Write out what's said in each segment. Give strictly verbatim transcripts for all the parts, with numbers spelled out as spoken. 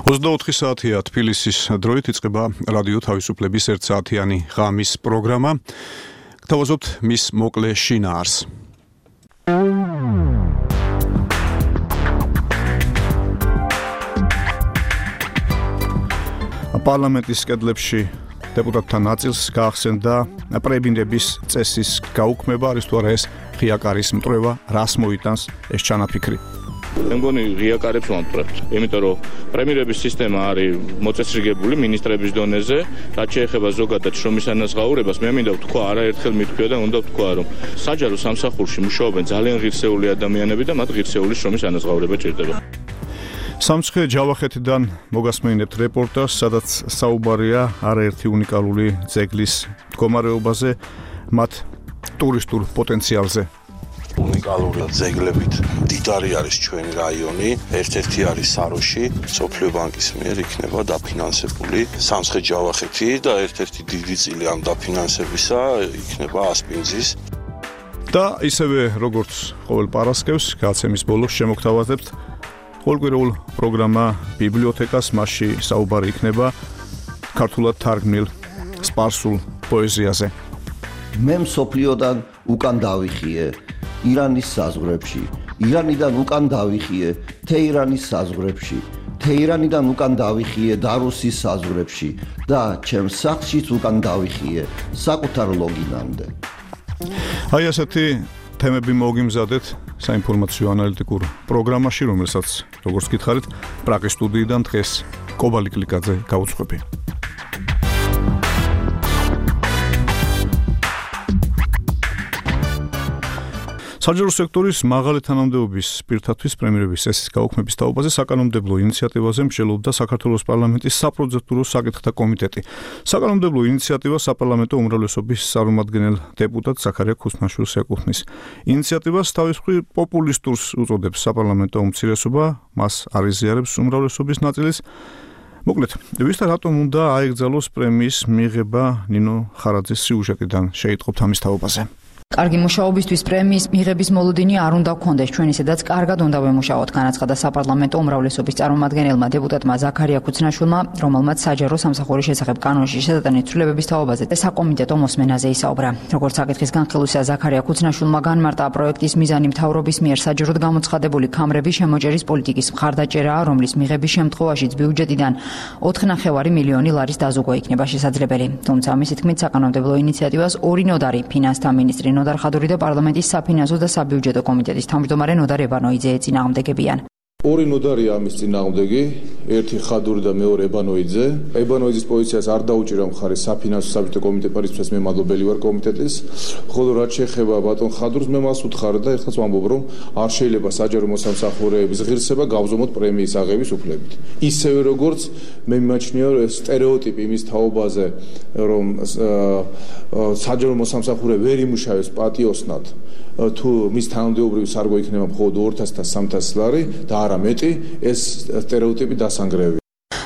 ოცდაოთხი საათია თბილისის დროით იწყება რადიო თავისუფლების ერთსაათიანი ღამის პროგრამა. გთავაზობთ მის მოკლე შინაარს. პარლამენტის კედლებში დეპუტატთა ნაწილს გაახსენდა პრებინდების წესის გაუქმება, არის თუ არა ეს ღია კარის მტვრევა, რას მოიტანს ეს ჩანაფიქრი. მე მგონი ღია კარებს ვამტვრევთ, იმიტომ რომ პრემიერების სისტემა არის მოწესრიგებული მინისტრების დონეზე, რაც შეეხება ზოგადად შრომის ანაზღაურებას, მე მინდა ვთქვა, არაერთხელ მithქვია და უნდა ვთქვა, რომ საჯარო სამსახურში მუშაობენ ძალიან ღირსეული ადამიანები და მათ ღირსეული შრომის ანაზღაურება ჭირდება. სამცხე ჯავახეთიდან მოგასმენინებთ რეპორტაჟს, სადაც საუბარია არაერთი უნიკალური ძეგლის მდგომარეობაზე, მათ ტურისტულ პოტენციალზე. უნიკალური ძეგლებით დიდარი არის ჩვენი რაიონი, ერთ-ერთი არის საროში, სოფლიო ბანკის მიერ იქნება დაფინანსებული სამცხე ჯავახეთი და ერთ-ერთი დიდი წილი ამ დაფინანსებისა იქნება ასპინძის. და ისევე როგორც ყოველ პარასკევს, გაცემის ბოლოს შემოგთავაზებთ ყოველკვირეულ პროგრამა ბიბლიოთეკას, მასში საუბარი იქნება ქართულად თარგმნილ სპარსულ პოეზიაზე. მე მსოფლიოდან უკან დავიხიე ირანის საზღვრებში, ირანიდან უკან დავიხიე თეირანის საზღვრებში, თეირანიდან უკან დავიხიე დარუსის საზღვრებში და ჩემს სახლშიც უკან დავიხიე საკუთარ ლოგინამდე. აი ასეთი თემები მოგიმზადეთ საინფორმაციო ანალიტიკურ პროგრამაში, რომელსაც, როგორც გითხარით, პრაღის სტუდიიდან დღეს კობალი კლიკაძე გაუძღვები. საჯარო სექტორის მაღალი თანამდებობის პირთათვის პრემიერების წესის გაუქმების თაობაზე საკანონმდებლო ინიციატივაზე მსჯელობდა საქართველოს პარლამენტის საპროცედურო საკითხთა კომიტეტი. საკანონმდებლო ინიციატივა საპარლამენტო უმრავლესობის წარმომადგენელ დეპუტატ ზაქარია ქუსნაშვილს ეკუთვნის. ინიციატივას თავის მხრივ პოპულისტურს უწოდებს საპარლამენტო უმცირესობა, მას არ იზიარებს უმრავლესობის ნაწილის. მოკლედ, ვის და რატომ უნდა აეგზალოს პრემიის მიღება ნინო ხარაძის სიუჟეტიდან შეიტყობთ ამის თაობაზე. კარგი მუშაობისთვის პრემიის მიღების მოლოდინი არ უნდა გქონდეს ჩვენი, სადაც კარგად უნდა ვემუშაოთ, განაცხადა საპარლამენტო უმრავლესობის წარმომადგენელმა დეპუტატმა ზაქარია ქუცნაშვილმა, რომელმაც საჯარო სამსახურის შესახებ კანონში შესატანით ცვლილებების თაობაზე საკომიტეტო მოსმენაზე ისაუბრა. როგორც საკითხის განხილვისა, ზაქარია ქუცნაშვილმა განმარტა პროექტის მიზანი მთავრობის მიერ საჯაროდ გამოცხადებული ქამრების შემოჭერის პოლიტიკის მხარდაჭერაა, რომლის მიღების შემთხვევაშიც ბიუჯეტიდან ოთხი ნახევარი მილიონი ლარის დაზუგვა იქნება შესაძლებელი. თუმცა მისი თქმით, საკანონმდებლო ინიციატივას ორი ნოდარი, ფინანსთა მინისტრი ნოდარ ხადური და პარლამენტის საფინანსო და საბიუჯეტო კომიტეტის თავმჯდომარე ნოდარ ებანოიძე ეწინააღმდეგებიან. ორი ნოდარია ამის წინააღმდეგი, ერთი ხადური და მეორე ებანოიძე. ებანოიძის პოზიციას არ დაუჭირა მხარი საფინანსო საბიუჯეტო კომიტეტის, მე მადლობელი ვარ კომიტეტის, ხოლო რაც შეეხება ბატონ ხადურს, მე მას ვუთხარ და ეხლაც ვამბობ, რომ არ შეიძლება საჯარო მოსამსახურეების ღირსება გავზომოთ პრემიის აღების უფლებით. ისევე როგორც მე მიმაჩნია სტერეოტიპი იმის თაობაზე, რომ საჯარო მოსამსახურე ვერ იმუშავებს პატიოსნად, თუ მის თანამდებობრივი სარგო იქნება მხოლოდ ორ ათას და სამ ათას ლარი და არა მეტი, ეს სტერეოტიპი დასანგრევია.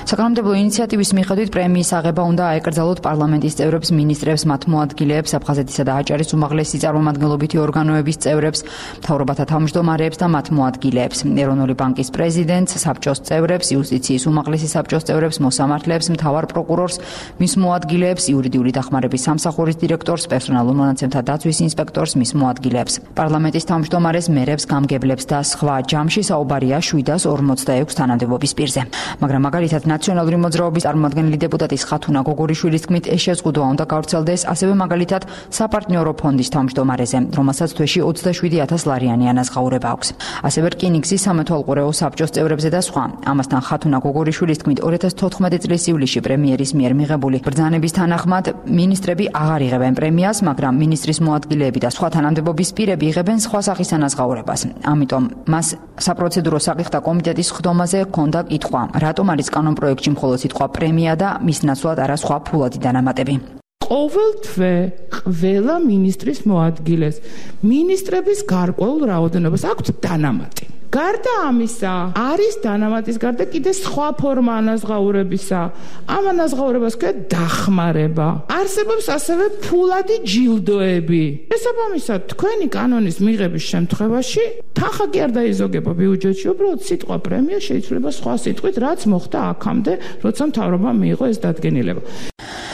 საკანონმდებლო ინიციატივის მიხედვით პრემიის აღება უნდა აეკრძალოთ პარლამენტის წევრებს, მინისტრებს, მათ მოადგილეებს, აფხაზეთისა და აჭარის უმაღლესი წარმომადგენლობითი ორგანოების წევრებს, მთავრობათა თავმჯდომარეებს და მათ მოადგილეებს, ეროვნული ბანკის პრეზიდენტს, საბჭოს წევრებს, იუსტიციის უმაღლესი საბჭოს წევრებს, მოსამართლეებს, მთავარ პროკურორს, მის მოადგილეებს, იურიდიული დახმარების სამსახურის დირექტორს, პერსონალურ მონაცემთა დაცვის ინსპექტორს, მის მოადგილეებს, პარლამენტის თავმჯდომარეს, მერებს, გამგებლებს და სხვა. ჯამში საუბარია შვიდას ორმოცდაექვს თანამდებობის პირზე. მაგრამ მაგალითად ნაციონალური მოძრაობის წარმომადგენელი დეპუტატის ხათუნა გოგორიშვილის თქმით, ეს შეზღუდვა უნდა გავრცელდეს ასევე მაგალითად საპარტნიორო ფონდის თავმჯდომარეზე, რომელსაც თვეში ოცდაშვიდი ათას ლარიანი ანაზღაურება აქვს. ასევე რკინიგზის სამეთვალყურეო საბჭოს წევრებზე და სხვა. ამასთან ხათუნა გოგორიშვილის თქმით, ორი ათას თოთხმეტი წლის ივლისში პრემიერის მიერ მიღებული ბრძანების თანახმად მინისტრები აღარ იღებენ პრემიას, მაგრამ მინისტრის მოადგილეები და სხვა თანამდებობის პირები იღებენ სხვა სახის ანაზღაურებას. ამიტომ მას საპროცედურო საკითხთა კომიტეტის ხდომაზე ჰქონდა კითხვა, რატომ არის კანონ პროექტში მხოლოდ სიტყვა პრემია და მის ნაცვლად არა სხვა ფულადი დანამატები. ყოველ თვე ყველა მინისტრის მოადგილეს მინისტრების გარკვეულ რაოდენობას აქვთ დანამატი. გარდა ამისა, არის დანამატის გარდა კიდე სხვა ფორმა ანაზღაურებისა. ამ ანაზღაურებას ქვია დახმარება. არსებობს ასევე ფულადი ჯილდოები. შესაბამისად, თქვენი კანონის მიღების შემთხვევაში თანხა კი არ დაიზოგება ბიუჯეტში, უბრალოდ სიტყვა პრემია შეიძლება სხვა სიტყვით, რაც მოხდა აქამდე, როცა მთავრობამ მიიღო ეს დადგენილება.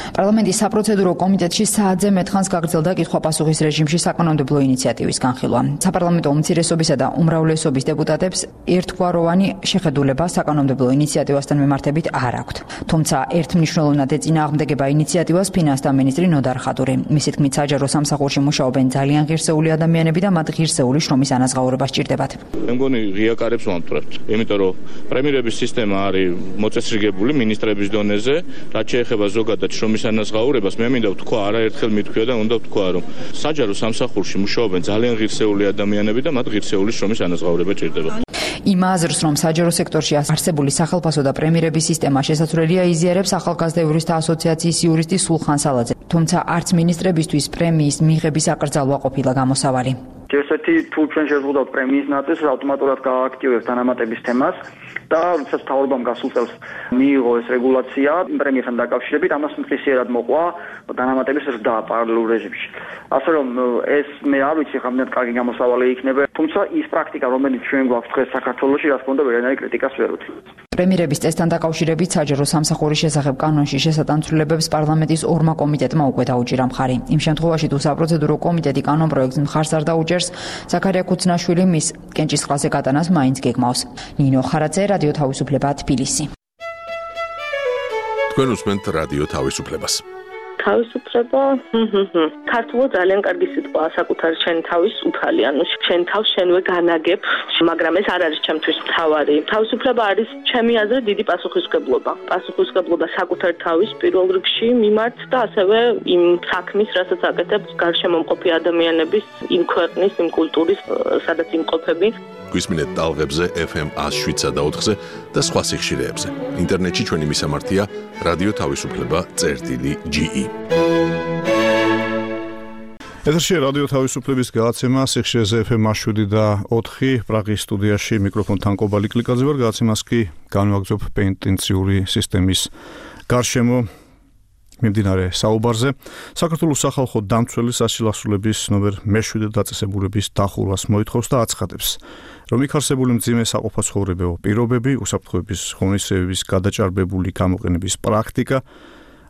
პარლამენტის საპროცედურო კომიტეტში საათზე მეტხანს გაგრძელდა კითხვა-პასუხის რეჟიმში საკანონმდებლო ინიციატივის განხილვა. საპარლამენტო უმცირესობისა და უმრავლესობის დეპუტატებს ერთგვაროვანი შეხედულება საკანონმდებლო ინიციატივასთან მიმართებით არ აქვთ. თუმცა ერთმნიშვნელოვნად ეწინააღმდეგება ინიციატივას ფინანსთა მინისტრი ნოდარ ხადური. მისი თქმით, საჯარო სამსახურში მუშაობენ ძალიან ღირსეული ადამიანები და მათ ღირსეული შრომის ანაზღაურება სჭირდებათ. მე მგონი ღიაკარებს ვამტვრებთ, იმიტომ რომ პრემიერების სისტემა არის მოწესრიგებული მინისტრების დონეზე, რაც შეეხება ზოგადად შრომის ანაზღაურებას, მე მინდა ვთქვა, არაერთხელ მithქვია და უნდა ვთქვა, რომ საჯარო სამსახურში მუშაობენ ძალიან ღირსეული ადამიანები და მათ ღირსეული შრომის ანაზღაურება ჭირდება. იმ აზრს, რომ საჯარო სექტორში არსებული სახელმწიფო და პრემიერების სისტემა შესაძლებელია, იზიარებს ახალგაზრდა იურისტთა ასოციაციის იურისტი სულხან სალაძე. თუმცა არც ministrებისთვის პრემიის მიღების აკრძალვა ყოფილა გამოსავალი. ერთ-ერთი თუ ჩვენ შევხვდათ პრემიის ნაწილს, ავტომატურად გააქტივებს დანამატების თემას და როდესაც მთავრობამ გასულ წელს მიიღო ეს რეგულაცია პრემიასთან დაკავშირებით, ამას მტკიციერად მოყვა დანამატების ზრდა პარალელურ რეჟიმში. ასე რომ ეს მე არ ვიცი რამდენად კარგი გამოსავალი იქნება, თუმცა ის პრაქტიკა, რომელიც ჩვენ გვაქვს დღეს საქართველოში, რა თქმა უნდა, ვერანაირი კრიტიკას ვერ უთმობს. პრემიერების წესთან დაკავშირებით საჯარო სამსახურის შესახებ კანონში შესატანცვლებებს პარლამენტის ორმა კომიტეტმა უკვე დაუჭირა მხარი. იმ შემთხვევაში, თუ საპროცედურო კომიტეტი კანონ პროექტს მხარს არ დაუჭერს, ზაქარია ქუცნაშვილი მის კენჭისყრაზე გატანას მაინც გეგმავს. ნინო ხარაძე, რადიო თავისუფლება, თბილისი. თქვენ უსმენთ რადიო თავისუფლებას. თავისუფლება, ქართულად ძალიან კარგი სიტყვაა, საკუთარი შენი თავის უფალი, ანუ შენ თავს შენვე განაგებ, მაგრამ ეს არ არის ჩემთვის მთავარი. თავისუფლება არის ჩემი აზრით დიდი პასუხისმგებლობა. პასუხისმგებლობა საკუთარი თავის პირველ რიგში მიმართ და ასევე იმ საქმის, რასაც აკეთებ გარშემომყოფი ადამიანების, იმ ქვეყნის, იმ კულტურის, სადაც იმყოფები. გვისმინეთ ტალღებზე ეფ ემ ათს და ოთხზე და სხვა სიხშირეებზე. ინტერნეტში ჩვენი მისამართია რადიო თავისუფლება წერტილი ჯი ი. ეთერში რადიო თავისუფლების გადაცემა სიხშირეზე ეფ ემ ათს და ოთხი პრაღის სტუდიაში მიკროფონთან კობალი კლიკაძე ვარ. გადაცემას კი განვაგრძობ პენტენციური სისტემის გარშემო მიმდინარე საუბარზე. საქართველოს სახალხო დამცველი სასილასრულების ნომერ მეშვიდე დაწესებულების დახურვას მოითხოვს და აცხადებს, რომ იქ არსებული მძიმე საყოფაცხოვრებო პირობები, უსაფრთხოების ღონისძიებების გადაჭარბებული გამოყენების პრაქტიკა,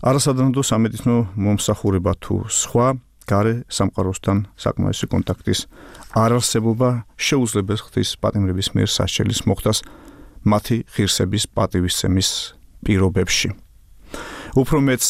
არასადროო სამედიცინო მომსახურება თუ სხვა გარე სამყაროსთან საკმარისი კონტაქტის არარსებობა შეუძლებს ღვთის პატიმრების მიერ სასჯელის მოხდას მათი ღირსების პატივისცემის პირობებში. უფრო მეც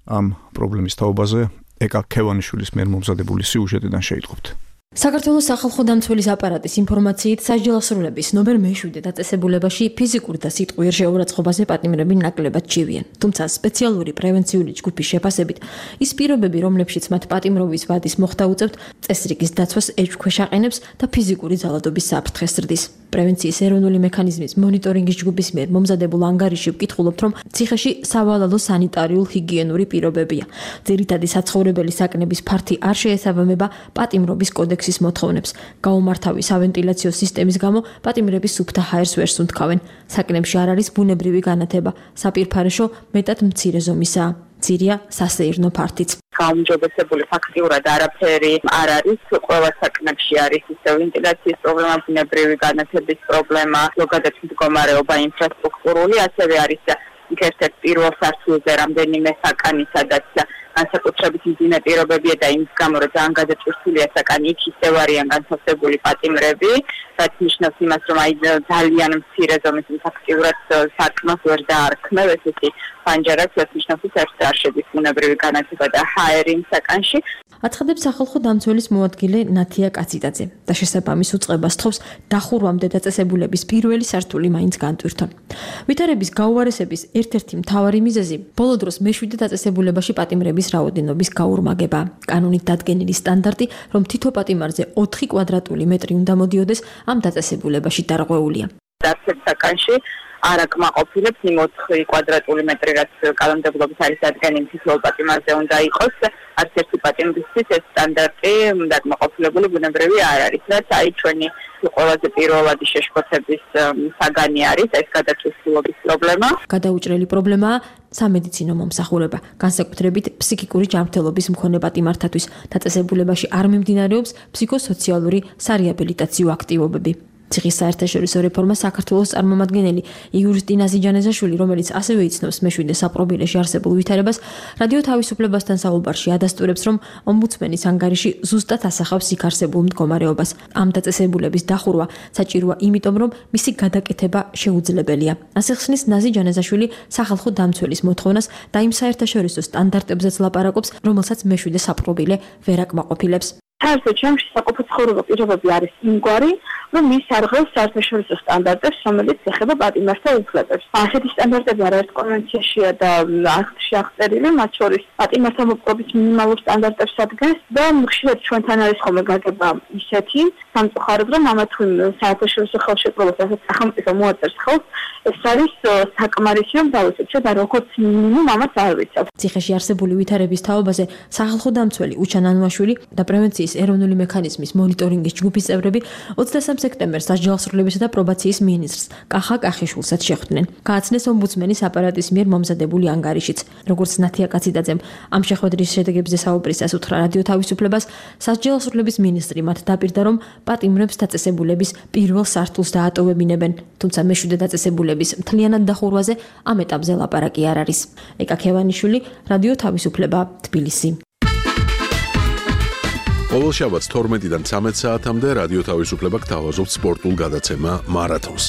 ამ პრობლემის თაობაზე ეკა ქევანიშვილის მიერ მომზადებული სიუჟეტიდან შეიტყობთ. საქართველოს სახალხო დამცველის აპარატის ინფორმაციით სასჯელასრულების ნომერ მეშვიდე დაწესებულებაში ფიზიკური და სიტყვიერ შეურაცხყოფაზე პატიმრები ნაკლებად ჩივიან. თუმცა სპეციალური პრევენციული ჯგუფის შეფასებით ის პირობები, რომლებშიც მათ პატიმრობის ვადის მოხდა უწევთ, წესრიგის დაცვას ეჭვქვეშ აყენებს და ფიზიკური ძალადობის საფრთხეს ზრდის. პრევენციის ეროვნული მექანიზმის მონიტორინგის ჯგუფის მიერ მომზადებულ ანგარიში ვკითხულობთ, რომ ციხეში სავალალო სანიტარიულ ჰიგიენური პირობებია. ძირითადი საცხოვრებელი საკნების ფართი არ შეესაბამება პატიმრობის კოდექსის მოთხოვნებს. გაუმართავი სავენტილაციო სისტემის გამო პატიმრები სუფთა ჰაერს ვერ სუნთქავენ. საკნებში არ არის ბუნებრივი განათება. საპირფარეშო მეტად მცირე ზომისაა. მცირეა სასეირნო ფართიც. გაუმჯობესებული ფაქტიურად არაფერი არ არის. ყველა საკნებში არის ისე ვენტილაციის პრობლემა, ბუნებრივი განათების პრობლემა, ზოგადად მდგომარეობა ინფრასტრუქტურული, ასევე არის ერთ-ერთ პირველ სართულზე რამდენიმე საკანი, სადაც განსაკუთრებით მძიმე პირობებია და იმის გამო, რომ ძალიან გადაწყვეტილია საკანი, იქ ისევ არიან განთავსებული პატიმრები, რაც ნიშნავს იმას, რომ აი ძალიან მცირე ზომის ფაქტიურად საკმას ვერ დაარქმევ, ესეთი პანჯარაც ნიშნავს, რომ საერთოდ არ შედის ბუნებრივი განათება და ჰაერი იმ საკანში. აცხადებს სახალხო დამცველის მოადგილე ნათია კაციტაძე და შესაბამის უწყებას თხოვს დახურვამდე დაწესებულების პირველი სართული მაინც განტვირთონ. ვითარების გაუარესების ერთ-ერთი მთავარი მიზეზი ბოლო დროს მეშვიდე დაწესებულებაში პატიმრების რაოდენობის გაურმაგება. კანონით დადგენილი სტანდარტი, რომ თითო პატიმარზე ოთხი კვადრატული მეტრი უნდა მოდიოდეს, ამ დაწესებულებაში დარღვეულია. დასწრებულებაში არ აკმაყოფილებს იმ ოთხი კვადრატული მეტრი, რაც კანონმდებლობის არის დადგენილი თითოეულ პატიმარზე უნდა იყოს. არც ერთი პატიმრისთვის ეს სტანდარტი დაკმაყოფილებული ბუნებრივი არ არის. რაც აი ჩვენი ყველაზე პირველადი შეშფოთების საგანი არის ეს გადაჭრილობის პრობლემა. გადაუჭრელი პრობლემაა სამედიცინო მომსახურება, განსაკუთრებით ფსიქიკური ჯანმრთელობის მქონე პატიმართათვის. დაწესებულებაში არ მიმდინარეობს ფსიქოსოციალური სარეაბილიტაციო აქტივობები. ციხის საერთაშორისო რეფორმა საქართველოს წარმომადგენელი იურისტი ნაზი ჯანეზაშვილი, რომელიც ასევე იცნობს მეშვიდე საპრობილეში არსებულ ვითარებას, რადიო თავისუფლებასთან საუბარში ადასტურებს, რომ ომბუდსმენის ანგარიში ზუსტად ასახავს იქ არსებულ მდგომარეობას. ამ დაწესებულების დახურვა საჭიროა იმიტომ, რომ მისი გადაკეთება შეუძლებელია. ასე ხსნის ნაზი ჯანეზაშვილი სახალხო დამცველის მოთხოვნას და იმ საერთაშორისო სტანდარტებზეც ლაპარაკობს, რომელსაც მეშვიდე საპრობილე ვერ აკმაყოფილებს. საერთოდ ჩემში საყოფო ცხოვრება პირობები არის იმგვარი, რომ ის არღავს საერთაშორისო სტანდარტებს, რომელიც ეხება პატიმართა უფლებებს. ასეთი სტანდარტები არაერთ კონვენციაშია და აქტში აღწერილი, მათ შორის პატიმართა მოპყრობის მინიმალურ სტანდარტებს ადგენს და ხშირად ჩვენთან არის ხოლმე გაგება ისეთი სამწუხაროდ, რომ ამა თუ იმ საერთაშორისო ხელშეკრულებას, რასაც სახელმწიფო მოაწერს ხელს, ეს არის საკმარისი, რომ დავიცვათ და როგორც მინიმუმ ამას არ ვიცავ. ციხეში არსებული ვითარების თაობაზე სახალხო დამცველი უჩან ანუაშვილი და პრევენციის ეროვნული მექანიზმის მონიტორინგის ჯგუფის წევრები ოცდასამ სექტემბერს სასჯელოსრულებისა და პრობაციის მინისტრს კახა კახიშვილსაც შეხვდნენ. გააცნეს ომბუდსმენის აპარატის მიერ მომზადებული ანგარიშიც. როგორც ნათია კაციდაძემ ამ შეხვედრის შედეგებზე საუბრისას უთხრა რადიო თავისუფლებას, სასჯელოსრულების მინისტრი მათ დაპირდა, რომ პატიმრებს დაწესებულების პირველ სართულს დაატოვებინებენ, თუმცა მეშვიდე დაწესებულების მთლიანად დახურვაზე ამ ეტაპზე ლაპარაკი არ არის. ეკა ქევანიშვილი, რადიო თავისუფლება, თბილისი. ყოველ შაბათს თორმეტიდან ცამეტ საათამდე რადიო თავისუფლება გთავაზობთ სპორტულ გადაცემა მარათონს.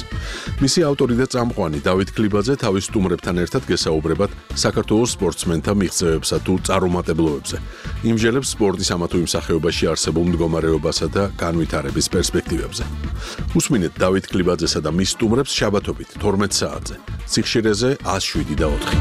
მისი ავტორი და წამყვანი დავით კლიბაძე თავის სტუმრებთან ერთად გესაუბრებათ საქართველოს სპორტსმენთა მიღწევებსა თუ წარუმატებლობებზე. იმჟელებს სპორტის ამა თუ იმ სახეობაში არსებულ მდგომარეობასა და განვითარების პერსპექტივებზე. უსმინეთ დავით კლიბაძესა და მის სტუმრებს შაბათობით თორმეტ საათზე. სიხშირეზე ათს შვიდი და ოთხი.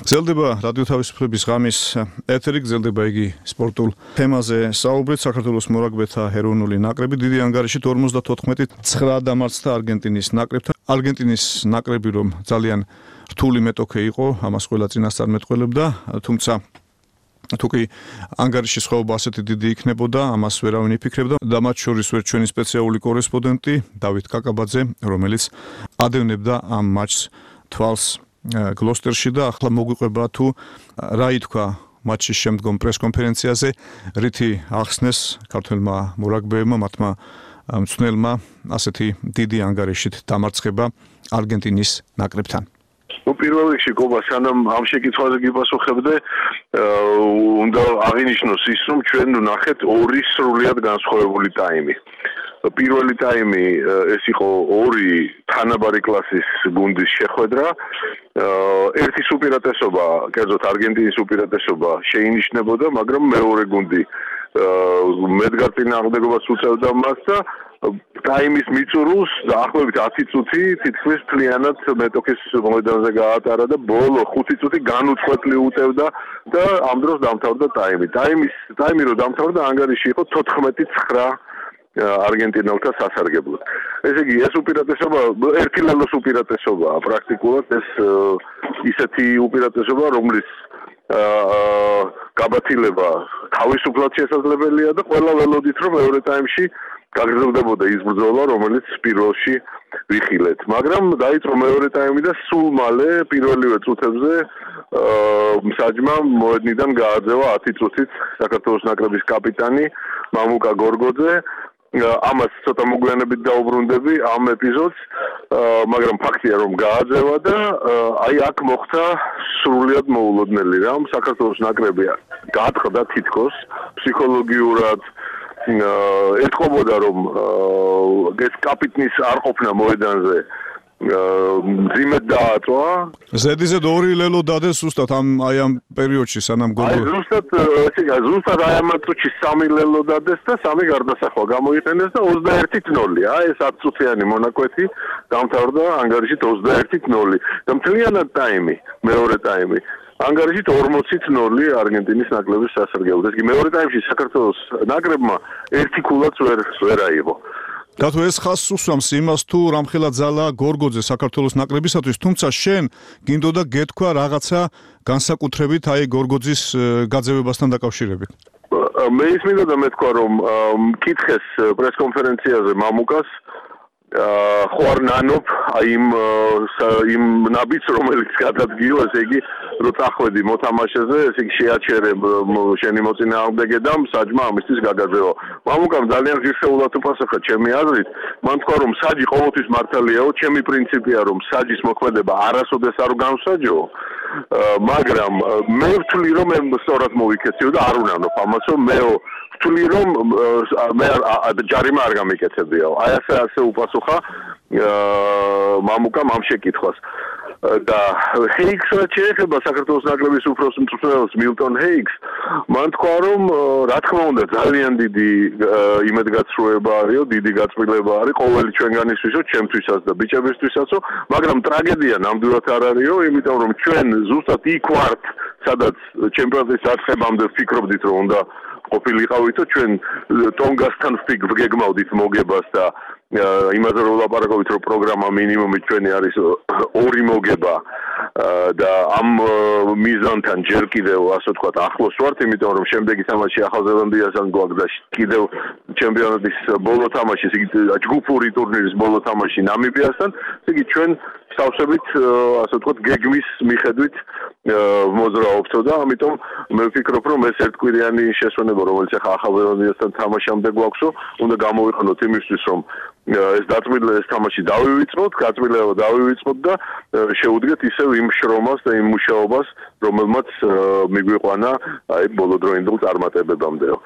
გრძელდება რადიო თავისუფლების ღამის ეთერი, გრძელდება იგი სპორტულ თემაზე საუბრით. საქართველოს მორაგბეთა ეროვნული ნაკრები დიდი ანგარიშით ორმოცდათოთხმეტი ცხრა დამარცხდა არგენტინის ნაკრებთან. არგენტინის ნაკრები რომ ძალიან რთული მეტოქე იყო, ამას ყველა წინასწარ მეტყველებდა, თუმცა თუ კი ანგარიშის ხვეობა ასეთი დიდი იქნებოდა, ამას ვერავინ იფიქრებდა და მათ შორის ვერ ჩვენი სპეციალური კორესპონდენტი დავით კაკაბაძე, რომელიც ადევნებდა ამ მატჩს თვალს გლოსტერში და ახლა მოგვიყვება თუ რა ითქვა მატჩის შემდგომ პრესკონფერენციაზე, რითი ახსნეს ქართველმა მორაგბეებმა მათმა მწვრთნელმა ასეთი დიდი ანგარიშით დამარცხება არგენტინის ნაკრებთან. Ну, პირველ რიგში გობა, სანამ ამ შეკითხვაზე გიპასუხებდე, უნდა აღინიშნოს ის, რომ ჩვენ ვნახეთ ორი სრულიად განსხვავებული ტაიმი. პირველი ტაიმი ეს იყო ორი თანაბარი კლასის გუნდის შეხვედრა. ერთის უპირატესობა, კერძოდ არგენტინის უპირატესობა შეინიშნებოდა, მაგრამ მეორე გუნდი მედგარ წინააღმდეგობას უწევდა მას და ტაიმის მიწურულს დაახლოებით ათი წუთი თითქმის მთლიანად მეტოქის მოედანზე გაატარა და ბოლო ხუთი წუთი განუწყვეტლი უტევდა და ამ დროს დამთავრდა ტაიმი. ტაიმის ტაიმი რო დამთავრდა, ანგარიში იყო თოთხმეტი ცხრა არგენტინელთა სასარგებლოდ. ესე იგი, ეს უპირატესობა ერთი ლელოს უპირატესობაა პრაქტიკულად, ეს ისეთი უპირატესობა, რომლის გაბათილება თავისუფლად შესაძლებელია და ყველა ველოდით, რომ მეორე ტაიმში გაგრძელდებოდა ის ბრძოლა, რომელიც პირველში ვიხილეთ. მაგრამ დაიწყო მეორე ტაიმი და სულ მალე პირველივე წუთებზე მსაჯმა მოედნიდან გააძევა ათი წუთით საქართველოს ნაკრების კაპიტანი მამუკა გორგოძე. ამას ცოტა მოგვიანებით დაუბრუნდები ამ ეპიზოდს, მაგრამ ფაქტია რომ გააძევა და აი აქ მოხდა სრულიად მოულოდნელი რამ. საქართველოს ნაკრები გაატყდა თითქოს ფსიქოლოგიურად, ეთყობოდა რომ ეს კაპიტნის არ ყოფნა მოედანზე მძიმედ დააწვა. ზედიზედ ორი ლელო დადეს ზუსტად ამ აი ამ პერიოდში სანამ გოლი. აი ზუსტად ესე იგი ზუსტად აი ამ წუთში სამი ლელო დადეს და სამი გარდასახვა გამოიყენეს და ოცდაერთით ნოლი. აი ეს ათი წუთიანი მონაკვეთი დამთავრდა ანგარიშით ოცდაერთით ნოლი. და მთლიანად ტაიმი, მეორე ტაიმი ანგარიშით ორმოცით ნოლი არგენტინის ნაკრების სასარგებლოდ. ეს კი მეორე ტაიმში საქართველოს ნაკრებმა ერთი ქულაც ვერ ვერ აიღო. და თუ ეს ხაზს უსვამს იმას თუ რამხელა ძალა გორგოძე საქართველოს ნაკრებისათვის, თუმცა შენ გინდოდა გეთქვა რაღაცა განსაკუთრებით აი გორგოძის გაძევებასთან დაკავშირებით. მე ის მინდოდა მეთქვა რომ მკითხეს პრესკონფერენციაზე მამუკას ხო არ ნანობ აი იმ იმ ნაბიჯს რომელიც გადადგილო, ესე იგი რო წახვედი მოთამაშეზე, ესე იგი შეაჩერე შენი მოწინააღმდეგე და საჯმა ამისთვის გაგაძევა. მამუკამ ძალიან ღირსეულად უპასუხა ჩემი აზრით, მან თქვა რომ საჯი ყოველთვის მართალიაო, ჩემი პრინციპია რომ საჯის მოქმედება არასოდეს არ განსაჯო, მაგრამ მე ვთვლი რომ მე სწორად მოვიქეციო და არ უნანობ ამას, რომ მეო ვთვლი რომ მე ჯარიმა არ გამიკეთებიაო. აი ასე ასე უპასუხა მამუკამ ამ შეკითხვას. და ჰეიქსს შეეხება საქართველოს ნაკრების უფროს მწვრთნელს მილტონ ჰეიქსს, მან თქვა რომ რა თქმა უნდა ძალიან დიდი იმედგაცრუება არისო, დიდი გაწმილება არის ყოველი ჩვენგანისთვისო, ჩემთვისაც და ბიჭებისთვისაც, მაგრამ ტრაგედია ნამდვილად არ არისო, იმიტომ რომ ჩვენ ზუსტად იქ ვართ, სადაც ჩემპიონატის დაწყებამდე ვფიქრობდით რომ უნდა ყოფილიყავითო, ჩვენ ტონგასთან ვგეგმავდით მოგებას და იმაზე რომ ვლაპარაკობთ რომ პროგრამა მინიმუმი ჩვენი არის ორი მოგება და ამ მიზანთან ჯერ კიდევ ასე ვთქვათ ახლოს ვართ, იმიტომ რომ შემდეგი თამაში ახალზელანდიასთან გვაქვს და კიდევ ჩემპიონატის ბოლო თამაში, იგი ჯგუფური ტურნირის ბოლო თამაში ნამიბიასთან, იგი ჩვენ სავსებით ასე ვთქვათ გეგმის მიხედვით მოძრაობთ და ამიტომ მე ვფიქრობ რომ ეს ერთკვირიანი შესვენება რომელიც ახლა ახალზელანდიასთან თამაშამდე გვაქვსო, უნდა გამოვიყენოთ იმისთვის რომ ეს დაწმილება ეს თამაში დავივიწყოთ, გაწმილება დავივიწყოთ და შეუდგეთ ისევ იმ შრომას და იმ მუშაობას, რომელმაც მიგვიყვანა აი ბოლოდროინდელ წარმატებებამდეო.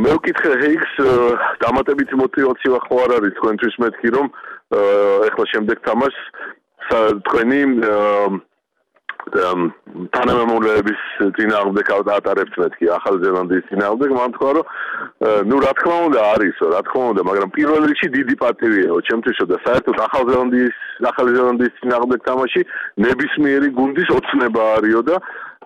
მე ვკითხე ჰეიქსს დამატებითი мотиваცია ხო არ არის თქვენთვის მეთქი რომ ეხლა შემდეგ თამაშს თქვენი თანამემამულეების წინააღმდეგ ატარებთ მეთქი ახალზელანდიის წინააღმდეგ, მან თქვა რომ ნუ რა თქმა უნდა არისო, რა თქმა უნდა, მაგრამ პირველ რიგში დიდი პატივიაო ჩემთვისო და საერთოდ ახალზელანდიის ახალზელანდიის წინააღმდეგ თამაში ნებისმიერი გუნდის ოცნება არისო და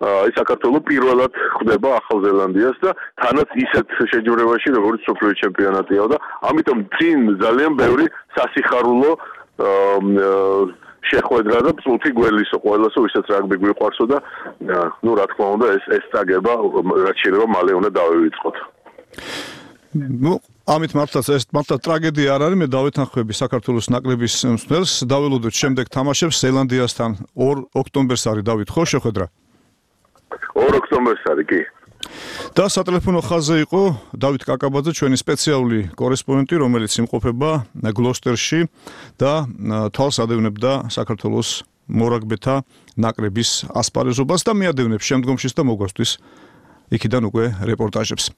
აი საქართველოს პირველად ხვდება ახალზელანდიას და თანაც ისეთ შეჯიბრებაში როგორც სოფლიო ჩემპიონატიაო და ამიტომ წინ ძალიან ბევრი სასიხარულო შეხვედრა და წუთი გველისო ყველასო ვისაც რაგბი გვიყვარსო და ნუ რა თქმა უნდა ეს ეს წაგება რაც შეიძლება მალე უნდა დავივიწყოთ. ნუ ამით მართლაც ეს მართლა ტრაგედია არ არის, მე დავეთანხმები საქართველოს ნაკრების მსვლელს, დაველოდოთ შემდეგ თამაშებს ზელანდიასთან ორ ოქტომბერს არის დავით ხო შეხვედრა? ორ ოქტომბერს არის კი. და სატელეფონო ხაზზე იყო დავით კაკაბაძე, ჩვენი სპეციალური კორესპონდენტი, რომელიც იმყოფება გლოსტერში და თვალს ადევნებდა საქართველოს მორაგბეთა ნაკრების ასპარეზობას და მიადევნებს შემდგომშიც და მოგვასთვის იქიდან უკვე რეპორტაჟებს.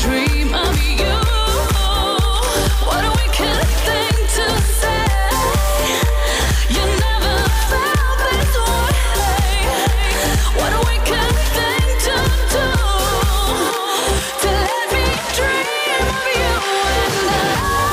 Dream of you and I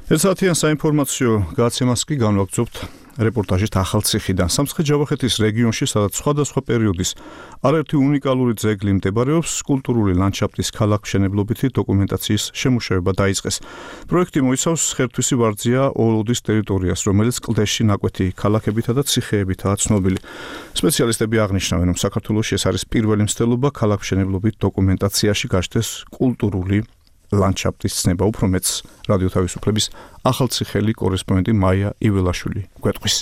ერთსაათიან საინფორმაციო გადაცემას კი განვაგრძობთ რეპორტაჟით ახალციხიდან. სამცხე-ჯავახეთის რეგიონში, სადაც სხვადასხვა პერიოდის არაერთი უნიკალური ძეგლი მდებარეობს, კულტურული ლანდშაფტის ქალაქმშენებლობითი დოკუმენტაციის შემუშავება დაიწყეს. პროექტი მოიცავს ხერთვისი ვარძია ოლოდის ტერიტორიას, რომელიც კლდეში ნაკვეთი ქალაქებითა და ციხეებითაა ცნობილი. სპეციალისტები აღნიშნავენ, რომ საქართველოში ეს არის პირველი მცდელობა ქალაქმშენებლობით დოკუმენტაციაში გაჩნდეს კულტურული ლანდშაფტის ცნება. უფრო მეც რადიო თავისუფლების ახალციხელი კორესპონდენტი მაია იველაშვილი გვეტყვის.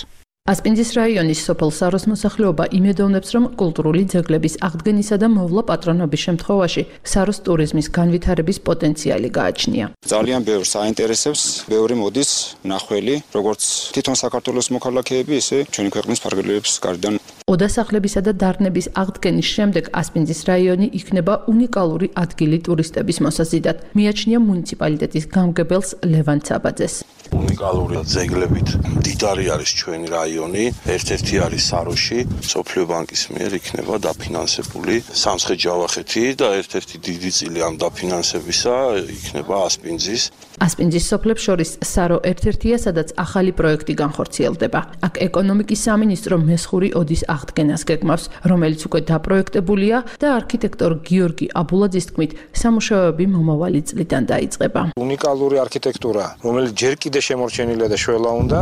ასპინძის რაიონის სოფელ საროს მოსახლეობა იმედოვნებს, რომ კულტურული ძეგლების აღდგენისა და მოვლა პატრონობის შემთხვევაში საროს ტურიზმის განვითარების პოტენციალი გააჩნია. ძალიან ბევრს აინტერესებს, ბევრი მოდის მნახველი, როგორც თვითონ საქართველოს მოქალაქეები, ისე ჩვენი ქვეყნის ფარგლებს გარდან. ოდასახლებისა და დარნების აღდგენის შემდეგ ასპინძის რაიონი იქნება უნიკალური ადგილი ტურისტების მოსაზიდად, მიაჩნია მუნიციპალიტეტის გამგებელს ლევან ცაბაძეს. უნიკალური ძეგლებით მდიდარი არის ჩვენი რაიონი, ერთ-ერთი არის საროში, სოფლიო ბანკის მიერ იქნება დაფინანსებული სამცხე-ჯავახეთი და ერთ-ერთი დიდი წილი ამ დაფინანსებისა იქნება ასპინძის. ასპინძის სოფლებს შორის სარო ერთ-ერთია, სადაც ახალი პროექტი განხორციელდება. აქ ეკონომიკის სამინისტრო მესხური ოდის აღდგენას გეგმავს, რომელიც უკვე დაპროექტებულია და არქიტექტორ გიორგი აბულაძის თქმით, სამუშაოები მომავალი წლიდან დაიწყება. უნიკალური არქიტექტურა, რომელიც ჯერ კიდევ შემორჩენილია და შველა უნდა,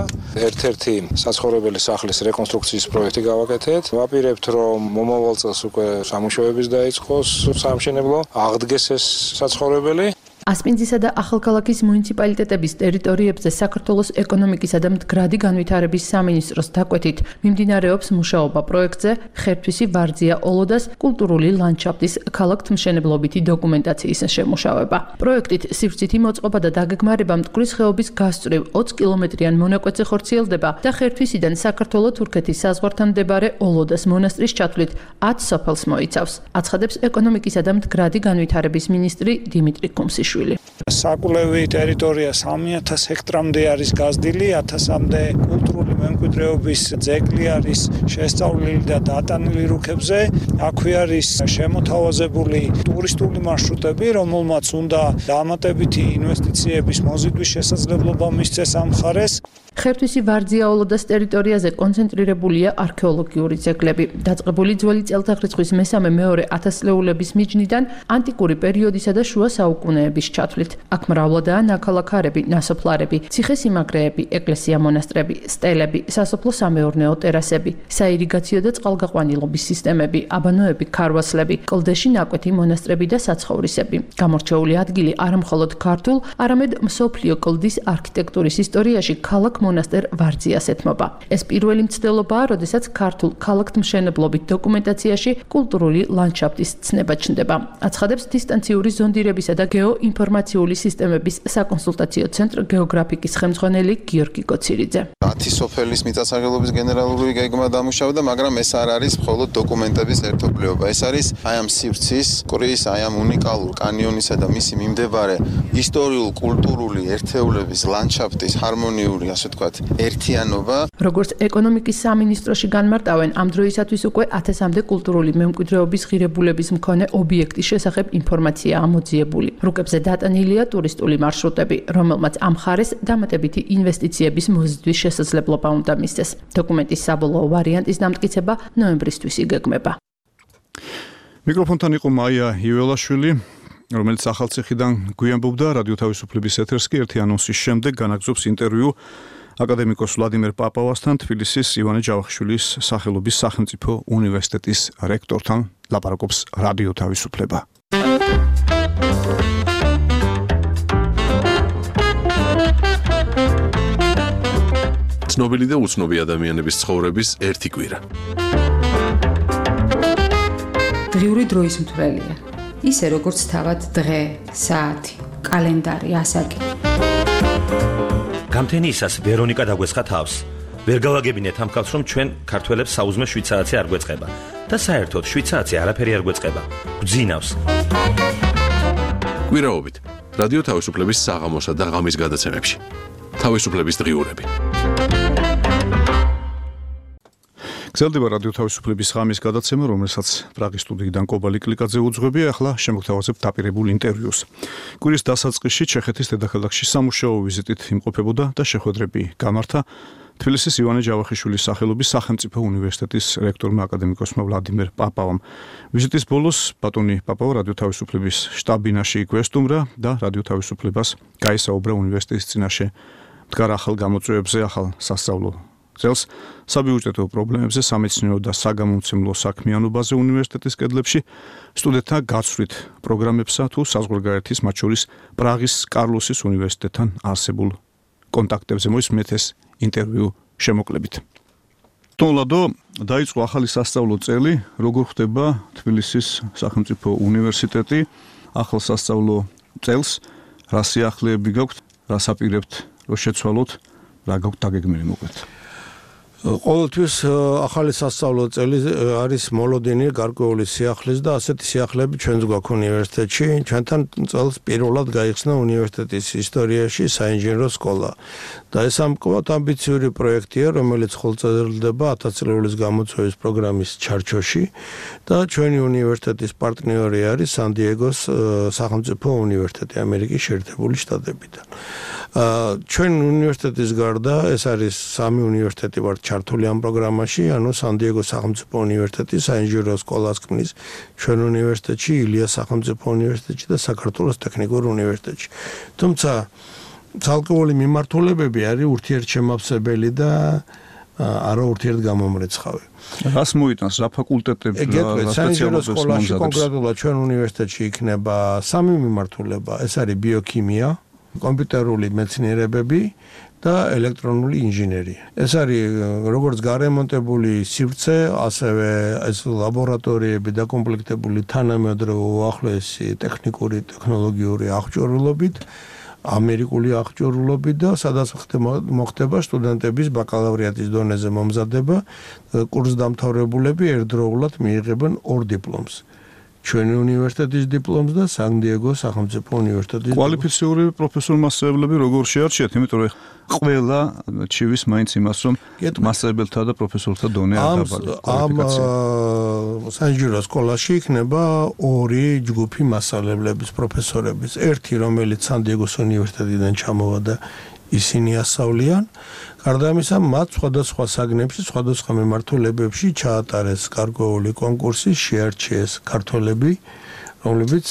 ერთ-ერთი საცხოვრებელი სახლის რეკონსტრუქციის პროექტი გავაკეთეთ. ვაპირებთ, რომ მომავალ წელს უკვე სამუშაოების დაიწყოს სამშენებლო, აღდგეს ეს საცხოვრებელი. ასპინძისა და ახალქალაქის მუნიციპალიტეტების ტერიტორიებზე საქართველოს ეკონომიკისა და მდგრადი განვითარების სამინისტროს დაკვეთით მიმდინარეობს მუშაობა პროექტზე ხერთვისი ვარძია ოლოდას კულტურული ლანდშაფტის ქალაქთმშენებლობითი დოკუმენტაციის შემუშავება. პროექტით სივრცითი მოწყობა და დაგეგმარება მტკვრის ხეობის გასწვრივ ოცი კილომეტრიან მონაკვეთზე ხორციელდება და ხერთვისიდან საქართველო-თურქეთის საზღვართან მდებარე ოლოდას მონასტრის ჩათვლით ათ სოფელს მოიცავს. აცხადებს ეკონომიკისა და მდგრადი განვითარების მინისტრი დიმიტრი კუმსიშვილი. საკვლევი ტერიტორია სამი ათას ჰექტრამდე არის გაზრდილი, ათასამდე კულტურული მემკვიდრეობის ძეგლი არის შესწავლილი და დატანილი რუქებზე. აქვე არის შემოთავაზებული ტურისტული მარშრუტები, რომელმაც უნდა დამატებითი ინვესტიციების მოზიდვის შესაძლებლობა მისცეს ამ მხარეს. ხერთვისი ვარძია ოლოდას ტერიტორიაზე კონცენტრირებულია არქეოლოგიური ძეგლები. დაწყებული ძველი წელთაღრიცხვის მესამე-მეორე ათასწლეულების მიჯნიდან ანტიკური პერიოდისა და შუა საუკუნეების ჩათვლით. აქ მრავლადაა ნაქალაქარები, ნასოფლარები, ციხესიმაგრეები, ეკლესია-მონასტრები, სტელები, სასოფლო-სამეურნეო ტერასები, საირიგაციო და წყალგაყვანილობის სისტემები, აბანოები, ქარვასლები, კლდეში ნაკვეთი მონასტრები და საცხოვრისები. გამორჩეული ადგილი არა მხოლოდ ქართულ, არამედ მსოფლიო კლდის არქიტექტურის ისტორიაში ქალაქ მონასტერ ვარძიას ეთმობა. ეს პირველი მცდელობაა, როდესაც ქართულ ქალაქთმშენებლობით დოკუმენტაციაში კულტურული ლანდშაფტის ცნება ჩნდება. აცხადებს დისტანციური ზონდირებისა და გეოინფორმაციული სისტემების საკონსულტაციო ცენტრ გეოგრაფიკის ხელმძღვანელი გიორგი კოცირიძე. ათი სოფელის მიწათსარგებლობის გენერალური გეგმა დამუშავდა, მაგრამ ეს არ არის მხოლოდ დოკუმენტების ერთობლიობა. ეს არის აი ამ სივრცის, ყრის, აი ამ უნიკალურ კანიონისა და მისი მიმდებარე ისტორიულ, კულტურული ერთეულების ლანდშაფტის ჰარმონიული, ასე ვთქვათ, ერთიანობა. როგორც ეკონომიკის სამინისტროში განმარტავენ, ამ დროისათვის უკვე ათასამდე კულტურული მემკვიდრეობის ღირებულების მქონე ობიექტის შესახებ ინფორმაცია ამოძიებული. რუკებზე დატანილია ტურისტული მარშრუტები, რომელმაც ამ მხარეს დამატებითი ინვესტიციების მოზიდვის შესაძლებლობა უნდა მისცეს. დოკუმენტის საბოლოო ვარიანტის დამტკიცება ნოემბრისთვის იგეგმება. მიკროფონთან იყო მაია იველაშვილი, რომელიც ახალციხიდან გვიამბობდა. რადიო თავისუფლების ეთერს კი ერთი ანონსის შემდეგ განაგზობს ინტერვიუ აკადემიკოს ვლადიმერ პაპავასთან, თბილისის ივანე ჯავახიშვილის სახელობის სახელმწიფო უნივერსიტეტის რექტორთან. ლაპარაკობს რადიო თავისუფლება. ცნობილი და უცნობი ადამიანების ცხოვრების ერთი კვირა. დღიური დროის მთვრელია. ისე როგორც თავად დღე, საათი, კალენდარი, ასაკი. გამთენიისას ვერონიკა დაგვესხა თავს. ვერ გავაგებინეთ ამ კაცს, რომ ჩვენ ქართველებს საუზმე შვიდ საათი არ გვეწყება და საერთოდ შვიდ საათი არაფერი არ გვეწყება. გვძინავს. კვირაობით რადიო თავისუფლების საღამოსა და ღამის გადაცემებში. თავისუფლების დღიურები. გრძელდება რადიო თავისუფლების ღამის გადაცემა, რომელსაც პრაღის სტუდიიდან კობალი კლიკაძე უძღვებია. ახლა შემოგთავაზებთ დაპირებულ ინტერვიუს. კვირის დასაწყისში ჩეხეთის დედაქალაქში სამუშაო ვიზიტით იმყოფებოდა და შეხვედრები გამართა თბილისის ივანე ჯავახიშვილის სახელობის სახელმწიფო უნივერსიტეტის რექტორმა აკადემიკოსმა ვლადიმერ პაპავამ. ვიზიტის ბოლოს ბატონი პაპავა რადიო თავისუფლების შტაბ-ბინაში იკვესტუმრა და რადიო თავისუფლებას გაისაუბრა უნივერსიტეტის წინაშე მდგარ ახალ გამოწვევებზე, ახალ სასწავლო წელს, საბიუჯეტო პრობლემებზე, სამეცნიერო და საგამომცემლო საქმიანობაზე უნივერსიტეტის კედლებში, სტუდენტთა გაცვლით პროგრამებსა თუ საზღვარგარეთის, მათ შორის პრაღის კარლოსის უნივერსიტეტთან არსებულ კონტაქტებზე მოისმენთ ეს ინტერვიუ შემოკლებით. თოლადო დაიწყო ახალი სასწავლო წელი, როგორ ხდება თბილისის სახელმწიფო უნივერსიტეტი ახალ სასწავლო წელს, რა სიახლეები გაქვთ, რა საპირებთ, რომ შეცვალოთ, რა გაქვთ დაგეგმილი მოკლედ. ყოველთვის ახალი სასწავლო წელი არის მოლოდინი გარკვეული სიახლის და ასეთი სიახლეები ჩვენც გვაქვს უნივერსიტეტში. ჩვენთან წელს პირველად გაიხსნა უნივერსიტეტის ისტორიაში საინჟინრო სკოლა. და ეს ამკობად ამბიციური პროექტია, რომელიც ხელმძღვანელდება ათასწლეულის გამოწვევის პროგრამის ჩარჩოში და ჩვენი უნივერსიტეტის პარტნიორი არის სან-დიეგოს სახელმწიფო უნივერსიტეტი ამერიკის შეერთებული შტატებიდან. ჩვენ უნივერსიტეტის გარდა ეს არის სამი უნივერსიტეტი ვართ ჩართული ამ პროგრამაში, ანუ სან-დიეგოს სახელმწიფო უნივერსიტეტი, საინჟინრო სკოლას ქმნის ჩვენ უნივერსიტეტში, ილიას სახელმწიფო უნივერსიტეტში და საქართველოს ტექნიკურ უნივერსიტეტში. თუმცა ცალკეული მიმართულებები არის ურთიერთშემავსებელი და არა ურთიერთგამომრეცხავი. რას მოიტანს, რა ფაკულტეტები, რა სპეციალობებს სკოლაში კონკრეტულად ჩვენ უნივერსიტეტში იქნება სამი მიმართულება, ეს არის ბიოქიმია, კომპიუტერული მეცნიერებები და ელექტრონული ინჟინერია. ეს არის როგორც გარემონტებული სივრცე, ასევე ეს ლაბორატორიები დაკომპლექტებული თანამედროვე უახლოესი ტექნიკური ტექნოლოგიური აღჭურვილობით, ამერიკული აღჭურვილობით და სადაც მოხდება სტუდენტების ბაკალავრიატის დონეზე მომზადება, კურსდამთავრებულები ერთდროულად მიიღებენ ორ დიპლომს. ჩვენი უნივერსიტეტის დიპლომს და სან-დიეგოს სახელმწიფო უნივერსიტეტის კვალიფიციური პროფესორ-მასწავლებლები როგორ შეარჩიათ, იმიტომ რომ ყველა ჩივის მაინც იმას, რომ მასწავლებელთა და პროფესორთა დონე არ დაბალია. ამ საინჟინრო სკოლაში იქნება ორი ჯგუფი მასწავლებლების, პროფესორების. ერთი, რომელიც სან-დიეგოს უნივერსიტეტიდან ჩამოვა და ისინი ასწავლიან. გარდა ამისა, მათ სხვადასხვა საგნებში, სხვადასხვა მიმართულებებში ჩაატარეს გარკვეული კონკურსი, შეარჩიეს ქართველები, რომლებიც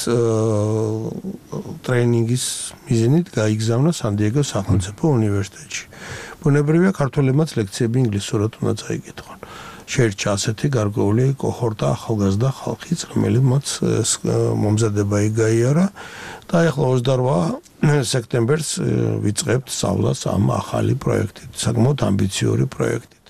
ტრეინინგის მიზნით გაიგზავნა სან-დიეგოს სახელმწიფო უნივერსიტეტში. ბუნებრივია, ქართველებმაც ლექციები ინგლისურად უნდა წაიკითხონ. შეერჩა ასეთი გარკვეული კოჰორტა ახალგაზრდა ხალხიც, რომელმაც მომზადება იგაიარა და ახლა ოცდარვა სექტემბერს ვიწყებთ სწავლას ამ ახალი პროექტით, საკმაოდ ამბიციური პროექტით.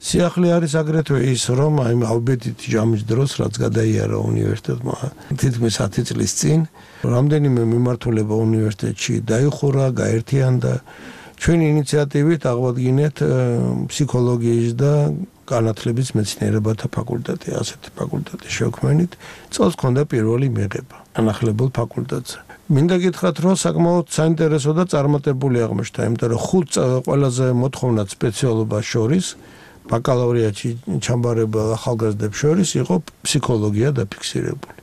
სიახლე არის აგრეთვე ის, რომ აი ალბეთით ჯამის დროს, რაც გადაიარა უნივერსიტეტმა თითქმის ათი წლის წინ, რამდენიმე მიმართულება უნივერსიტეტში დაიხურა, გაერთიანდა. ჩვენი ინიციატივით აღვადგინეთ ფსიქოლოგიის და განათლების მეცნიერებათა ფაკულტეტი, ასეთი ფაკულტეტი შევქმნით. წელს ქონდა პირველი მიღება განახლებულ ფაკულტეტზე. მინდა გითხრათ, რომ საკმაოდ საინტერესო და წარმატებული აღმოჩნდა, იმიტომ რომ ხუთ ყველაზე მოთხოვნად სპეციალობას შორის ბაკალავრიატში ჩამბარებელ ახალგაზრდებს შორის იყო ფსიქოლოგია დაფიქსირებული.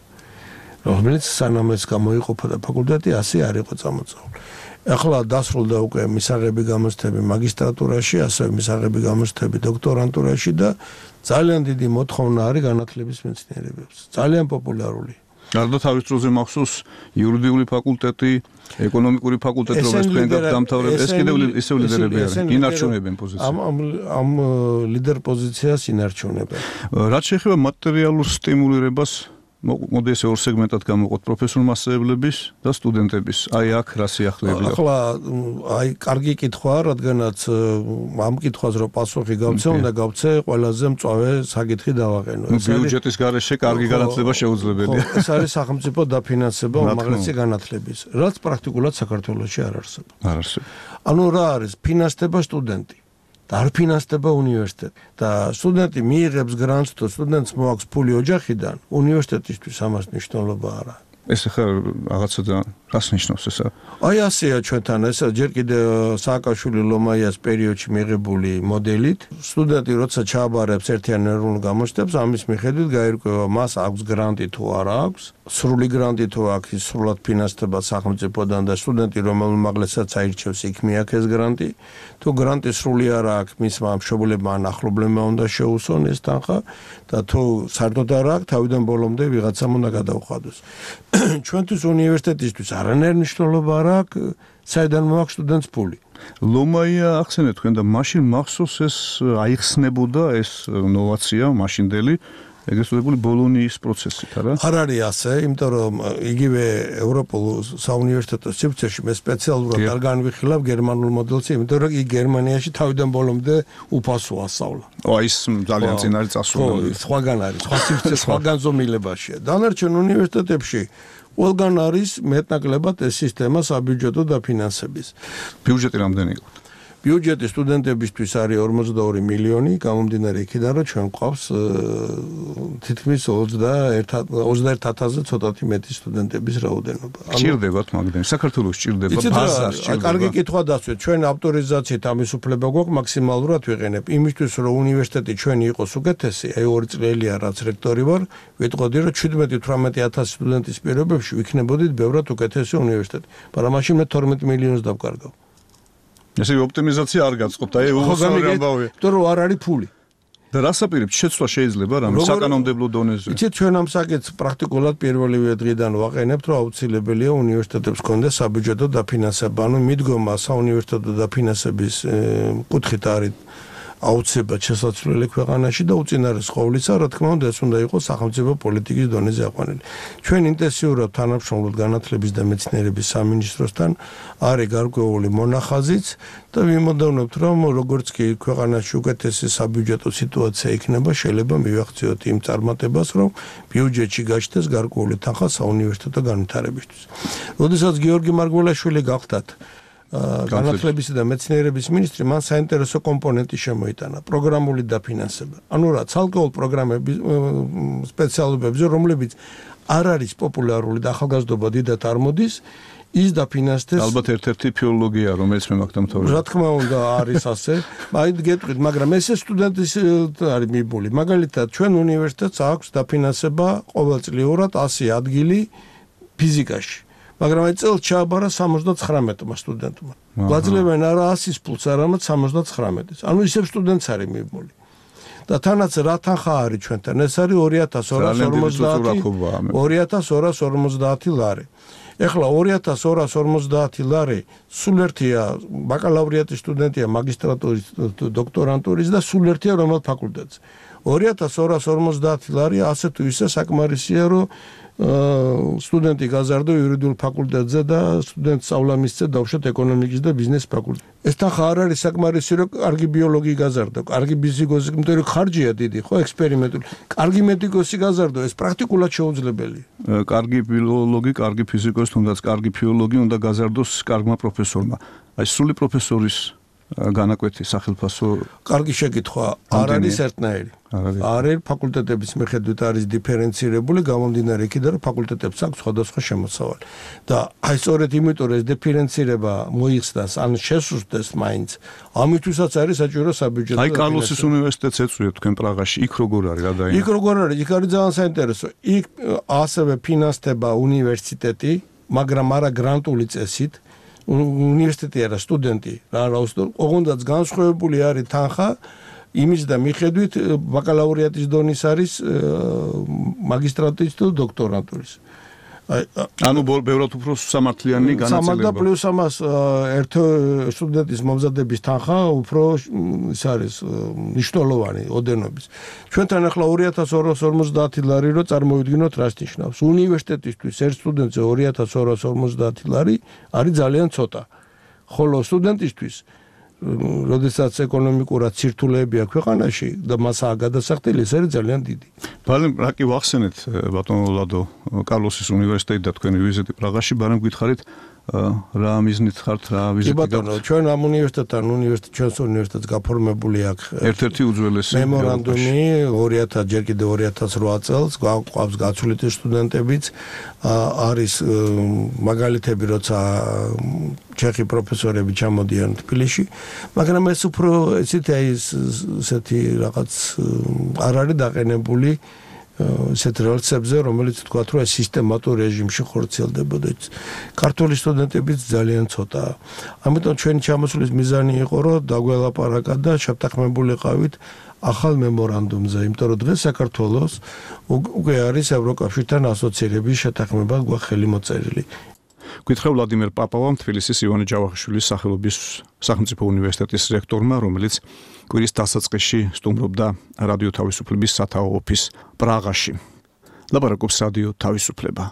რომელიც სანამ ეს გამოიყოფოდა ფაკულტეტი, ასე არ იყო წამოწეული. ახლა დასრულდა უკვე მისაღები გამოცდები მაგისტრატურაში, ასევე მისაღები გამოცდები დოქტორანტურაში და ძალიან დიდი მოთხოვნა არის განათლების მეცნიერებებს. ძალიან პოპულარული. გარდა თავის დროზე მახსოვს იურიდიული ფაკულტეტი, ეკონომიკური ფაკულტეტი, რომელიც თქვენ დამთავრებთ, ეს კიდევ ისევ ლიდერები არიან, ინარჩუნებენ პოზიციას. ამ ამ ლიდერ პოზიციას ინარჩუნებენ. რაც შეეხება მატერიალურ სტიმულირებას, მოდი ესე ორ სეგმენტად გამოვყოთ პროფესორ-მასწავლებლების და სტუდენტების. აი აქ რა სიახლეები გაქვთ? ახლა აი კარგი კითხვაა, რადგანაც ამ კითხვას რო პასუხი გავცე, უნდა გავცე ყველაზე მწვავე საკითხი დავაყენო. ბიუჯეტის გარეშე კარგი განათლება შეუძლებელია. ეს არის სახელმწიფო დაფინანსება უმაღლესი განათლების, რაც პრაქტიკულად საქართველოში არ არსებობს. არ არსებობს. ანუ რა არის? ფინანსდება სტუდენტი. და არ ფინანსდება უნივერსიტეტი. და სტუდენტი მიიღებს გრანტს, თუ სტუდენტს მოაქვს ფული ოჯახიდან, უნივერსიტეტისთვის ამას მნიშვნელობა არ აქვს. ეს ახლა რაღაცა და რას ნიშნავს ესა? აი ასეა ჩვენთან ეს ჯერ კიდე სააკაშვილი ლომაიას პერიოდში მიღებული მოდელით სტუდენტი როცა ჩააბარებს ერთიან ეროვნულ გამოჩნდებს ამის მიხედვით გაირკვევა მას აქვს გრანტი თუ არა აქვს სრული გრანტი თუ აქვს ის სრულად ფინანსდება სახელმწიფოდან და სტუდენტი რომელ უმაღლესაც აირჩევს იქ მიაქეს გრანტი თუ გრანტი სრული არა აქვს მისმა მშობლებმა ან ახლობლებმა უნდა შეუსვონ ეს თანხა და თუ საერთოდ არა აქვს თავიდან ბოლომდე ვიღაცამ უნდა გადაუხადოს ჩვენთვის უნივერსიტეტისთვის არანაირი მნიშვნელობა არ აქვს საიდან მოაქვს სტუდენტს ფული ლომაია ახსენეთ თქვენ და მაშინ მახსოვს ეს აიხსნებოდა ეს ნოვაცია მაშინდელი ეგრეთ წოდებული ბოლონიის პროცესით არა? არ არის ასე, იმიტომ რომ იგივე ევროპულ საუნივერსიტეტო სივრცეში მე სპეციალურად არ განვიხილავ გერმანულ მოდელს, იმიტომ რომ იქ გერმანიაში თავიდან ბოლომდე უფასო ასწავლა. ო ის ძალიან წინ არის წასული. სხვაგან არის, სხვა სივრცე, სხვაგან ზომილებაშია. დანარჩენ უნივერსიტეტებში ყველგან არის მეტნაკლებად ეს სისტემა საბიუჯეტო დაფინანსების. ბიუჯეტი რამდენი იყო? ბიუჯეტი სტუდენტებისთვის არის ორმოცდაორი მილიონი, გამომდინარე იქიდან რომ ჩვენ გვყავს თითქმის ოცდაერთ ათასზე ცოტათი მეტი სტუდენტების რაოდენობა. სჭირდებათ მაგდენ, საქართველოს სჭირდება, ბაზარს სჭირდება. კარგი კითხვა დასვეთ, ჩვენ ავტორიზაციით ამის უფლება გვაქვს მაქსიმალურად ვიყენებ. იმისთვის რომ უნივერსიტეტი ჩვენი იყოს უკეთესი, აი ორი წელია რაც რექტორი ვარ, ვიტყოდი რომ შვიდმეტი თვრამეტი ათასი სტუდენტის პირობებში ვიქნებოდით ბევრად უკეთესი უნივერსიტეტი. მაგრამ მაშინ მე თორმეტ მილიონს დავკარგავ. ესე ოპტიმიზაცია არ გაწყობთ, აი უხსოვრი ამბავია. იმიტომ რომ არ არის ფული. და რას აპირებთ შეცვლა შეიძლება რამე საკანონმდებლო დონეზე? იცით ჩვენ ამ საკითხს პრაქტიკულად პირველივე დღიდან ვაყენებთ, რომ აუცილებელია უნივერსიტეტებს კონდეს საბიუჯეტო დაფინანსება, ანუ მიდგომა საუნივერსიტეტო დაფინანსების კუთხით არის აუცილებლად შესაძლებელი ქვეყანაში და უწინარეს ყოვლისა, რა თქმა უნდა, ეს უნდა იყოს სახელმწიფო პოლიტიკის დონეზე აყვანილი. ჩვენ ინტენსიურად თანამშრომლობთ განათლების და მეცნიერების სამინისტროსთან, არის გარკვეული მონახაზიც და ვიმოდოვნებთ, რომ როგორც კი ქვეყანაში უკეთესი საბიუჯეტო სიტუაცია იქნება, შეიძლება მივახციოთ იმ წარმატებას, რომ ბიუჯეტში გაჩნდეს გარკვეული თანხა საუნივერსიტეტო განვითარებისთვის. როდესაც გიორგი მარგველაშვილი გახდათ განათლებისა და მეცნიერების მინისტრი მან საინტერესო კომპონენტი შემოიტანა პროგრამული დაფინანსება. ანუ რა, ცალკეულ პროგრამების სპეციალობებზე, რომლებიც არ არის პოპულარული და ახალგაზრდობა დიდად არ მოდის, ის დაფინანსდეს. ალბათ ერთ-ერთი ფილოლოგია, რომელიც მე მაგ დამთავრდა. რა თქმა უნდა, არის ასე. აი გეტყვით, მაგრამ ესე სტუდენტის არის მიბული. მაგალითად, ჩვენ უნივერსიტეტს აქვს დაფინანსება ყოველწლიურად ასი ადგილი ფიზიკაში. მაგრამ აი წელს ჩააბარა სამოცდაცხრამეტმა სტუდენტმა. გვაძლევენ არა ასის ფულს, არამედ სამოცდაცხრამეტის. ანუ ისევ სტუდენტს არის მიბული. და თანაც რა თანხა არის ჩვენთან? ეს არის ორი ათას ორას ორმოცდაათი ლარი. ეხლა ორი ათას ორას ორმოცდაათი ლარი სულ ერთია ბაკალავრიატის სტუდენტია მაგისტრატურის დოქტორანტურის და სულ ერთია რომელ ფაკულტეტზე. ორი ათას ორას ორმოცდაათი ლარი ასე თუ ისე საკმარისია, რომ სტუდენტი გაზარდო იურიდიულ ფაკულტეტზე და სტუდენტ სწავლა მისცე დავუშვათ ეკონომიკის და ბიზნეს ფაკულტეტზე. ეს თანხა არ არის საკმარისი, რომ კარგი ბიოლოგი გაზარდო, კარგი ფიზიკოსი, იმიტომ რომ ხარჯია დიდი, ხო, ექსპერიმენტული. კარგი მედიკოსი გაზარდო, ეს პრაქტიკულად შეუძლებელია. კარგი ბიოლოგი, კარგი ფიზიკოსი, თუნდაც კარგი ფილოლოგი უნდა გაზარდოს კარგმა პროფესორმა. აი სრული პროფესორის განაკვეთი სახელმწიფო კარგი შეკითხვა არ არის ერთნაირი. არის ფაკულტეტების მიხედვით არის დიფერენცირებული, გამომდინარე იქიდან რომ ფაკულტეტებს აქვს სხვადასხვა შემოსავალი. და აი სწორედ იმიტომ რომ ეს დიფერენცირება მოიხსნას, ან შესუსტდეს მაინც, ამითვისაც არის საჭირო საბიუჯეტო. აი კარლოსის უნივერსიტეტს ეწვიეთ თქვენ პრაღაში, იქ როგორ არის გადაინა? იქ როგორ არის? იქ არის ძალიან საინტერესო. იქ ასევე ფინანსდება უნივერსიტეტი, მაგრამ არა გრანტული წესით. უნივერსიტეტი არა სტუდენტი რა რაუსტო ოღონდაც განსხვავებული არის თანხა იმის და მიხედვით ბაკალავრიატის დონის არის მაგისტრატურის თუ დოქტორანტურის. ანუ ბევრად უფრო სამართლიანი განაწილება. სამართლა პლუს ამას ერთ სტუდენტის მომზადების თანხა უფრო ის არის მნიშვნელოვანი ოდენობის. ჩვენთან ახლა ორი ათას ორას ორმოცდაათი ლარი რო წარმოვიდგინოთ რას ნიშნავს. უნივერსიტეტისთვის ერთ სტუდენტზე ორი ათას ორას ორმოცდაათი ლარი არის ძალიან ცოტა. ხოლო სტუდენტისთვის როდესაც ეკონომიკურად ცირთულეებია ქვეყანაში და მასაა გადასახდელი, ეს არის ძალიან დიდი. ბალემ რა კი ვახსენეთ ბატონო ლადო კარლოსის უნივერსიტეტი და თქვენი ვიზიტი პრაღაში, ბარემ გითხარით რა მიზნით ხართ, რა ვიზიტი გაქვთ? კი ბატონო, ჩვენ ამ უნივერსიტეტთან, უნივერსიტეტ ჩვენს უნივერსიტეტს გაფორმებული აქვს ერთ-ერთი უძველესი მემორანდუმი ორი ათას ჯერ კიდევ ორი ათას ოთხ წელს, გვაქვს გაცვლითი სტუდენტებიც, არის მაგალითები, როცა ჩეხი პროფესორები ჩამოდიან თბილისში, მაგრამ ეს უფრო ესეთი აი ესეთი რაღაც არ არის დაყენებული ესეთ რელსებზე, რომელიც თქვა, რომ ეს სისტემატურ რეჟიმში ხორციელდებოდა. ქართული სტუდენტებიც ძალიან ცოტაა. ამიტომ ჩვენი ჩამოსვლის მიზანი იყო, რომ დაგველაპარაკა და შევთანხმებულიყავით ახალ მემორანდუმზე, იმიტომ რომ დღეს საქართველოს უკვე არის ევროკავშირთან ასოცირების შეთანხმება გვაქვს ხელი მოწერილი. გითხრა ვლადიმერ პაპავამ, თბილისის ივანე ჯავახიშვილის სახელობის სახელმწიფო უნივერსიტეტის რექტორმა, რომელიც კვირის დასაწყისში სტუმრობდა რადიო თავისუფლების სათაო ოფისს პრაღაში. ლაპარაკობს რადიო თავისუფლება.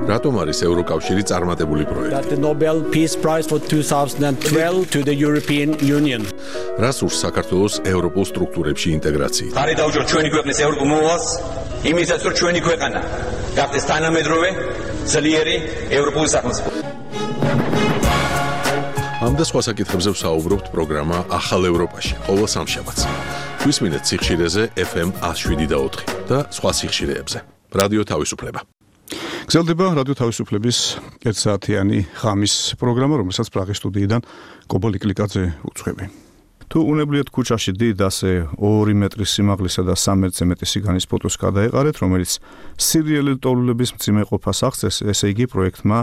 რატომ არის ევროკავშირი წარმატებული პროექტი? The Nobel Peace Prize for twenty twelve to the European Union. რას ურს საქართველოს ევროპულ სტრუქტურებში ინტეგრაციით? ხარი დაუჭიროთ ჩვენი ქვეყნის ევროპულ მოვალს, იმისაც რომ ჩვენი ქვეყანა გახდეს თანამედროვე, ძლიერი ევროპული სახელმწიფო. ამ და სხვა საკითხებზე ვსაუბრობთ პროგრამა ახალ ევროპაში, ყოველ სამშაბათს. გვისმინეთ სიხშირეზე ეფ ემ one oh seven და ოთხი და სხვა სიხშირეებზე. რადიო თავისუფლება. გრძელდება რადიო თავისუფლების ერთსაათიანი ღამის პროგრამა, რომელსაც პრაღის სტუდიიდან კობოლი კლიკაძე უძღვები. თუ უნებლიეთ ქუჩაში დიდ ასე ორი მეტრის სიმაღლისა და სამ მეტრზე მეტი სიგანის ფოტოს გადაეყარეთ, რომელიც სერიალი ტოლულების მძიმე ყოფას აღწევს, ესე იგი პროექტმა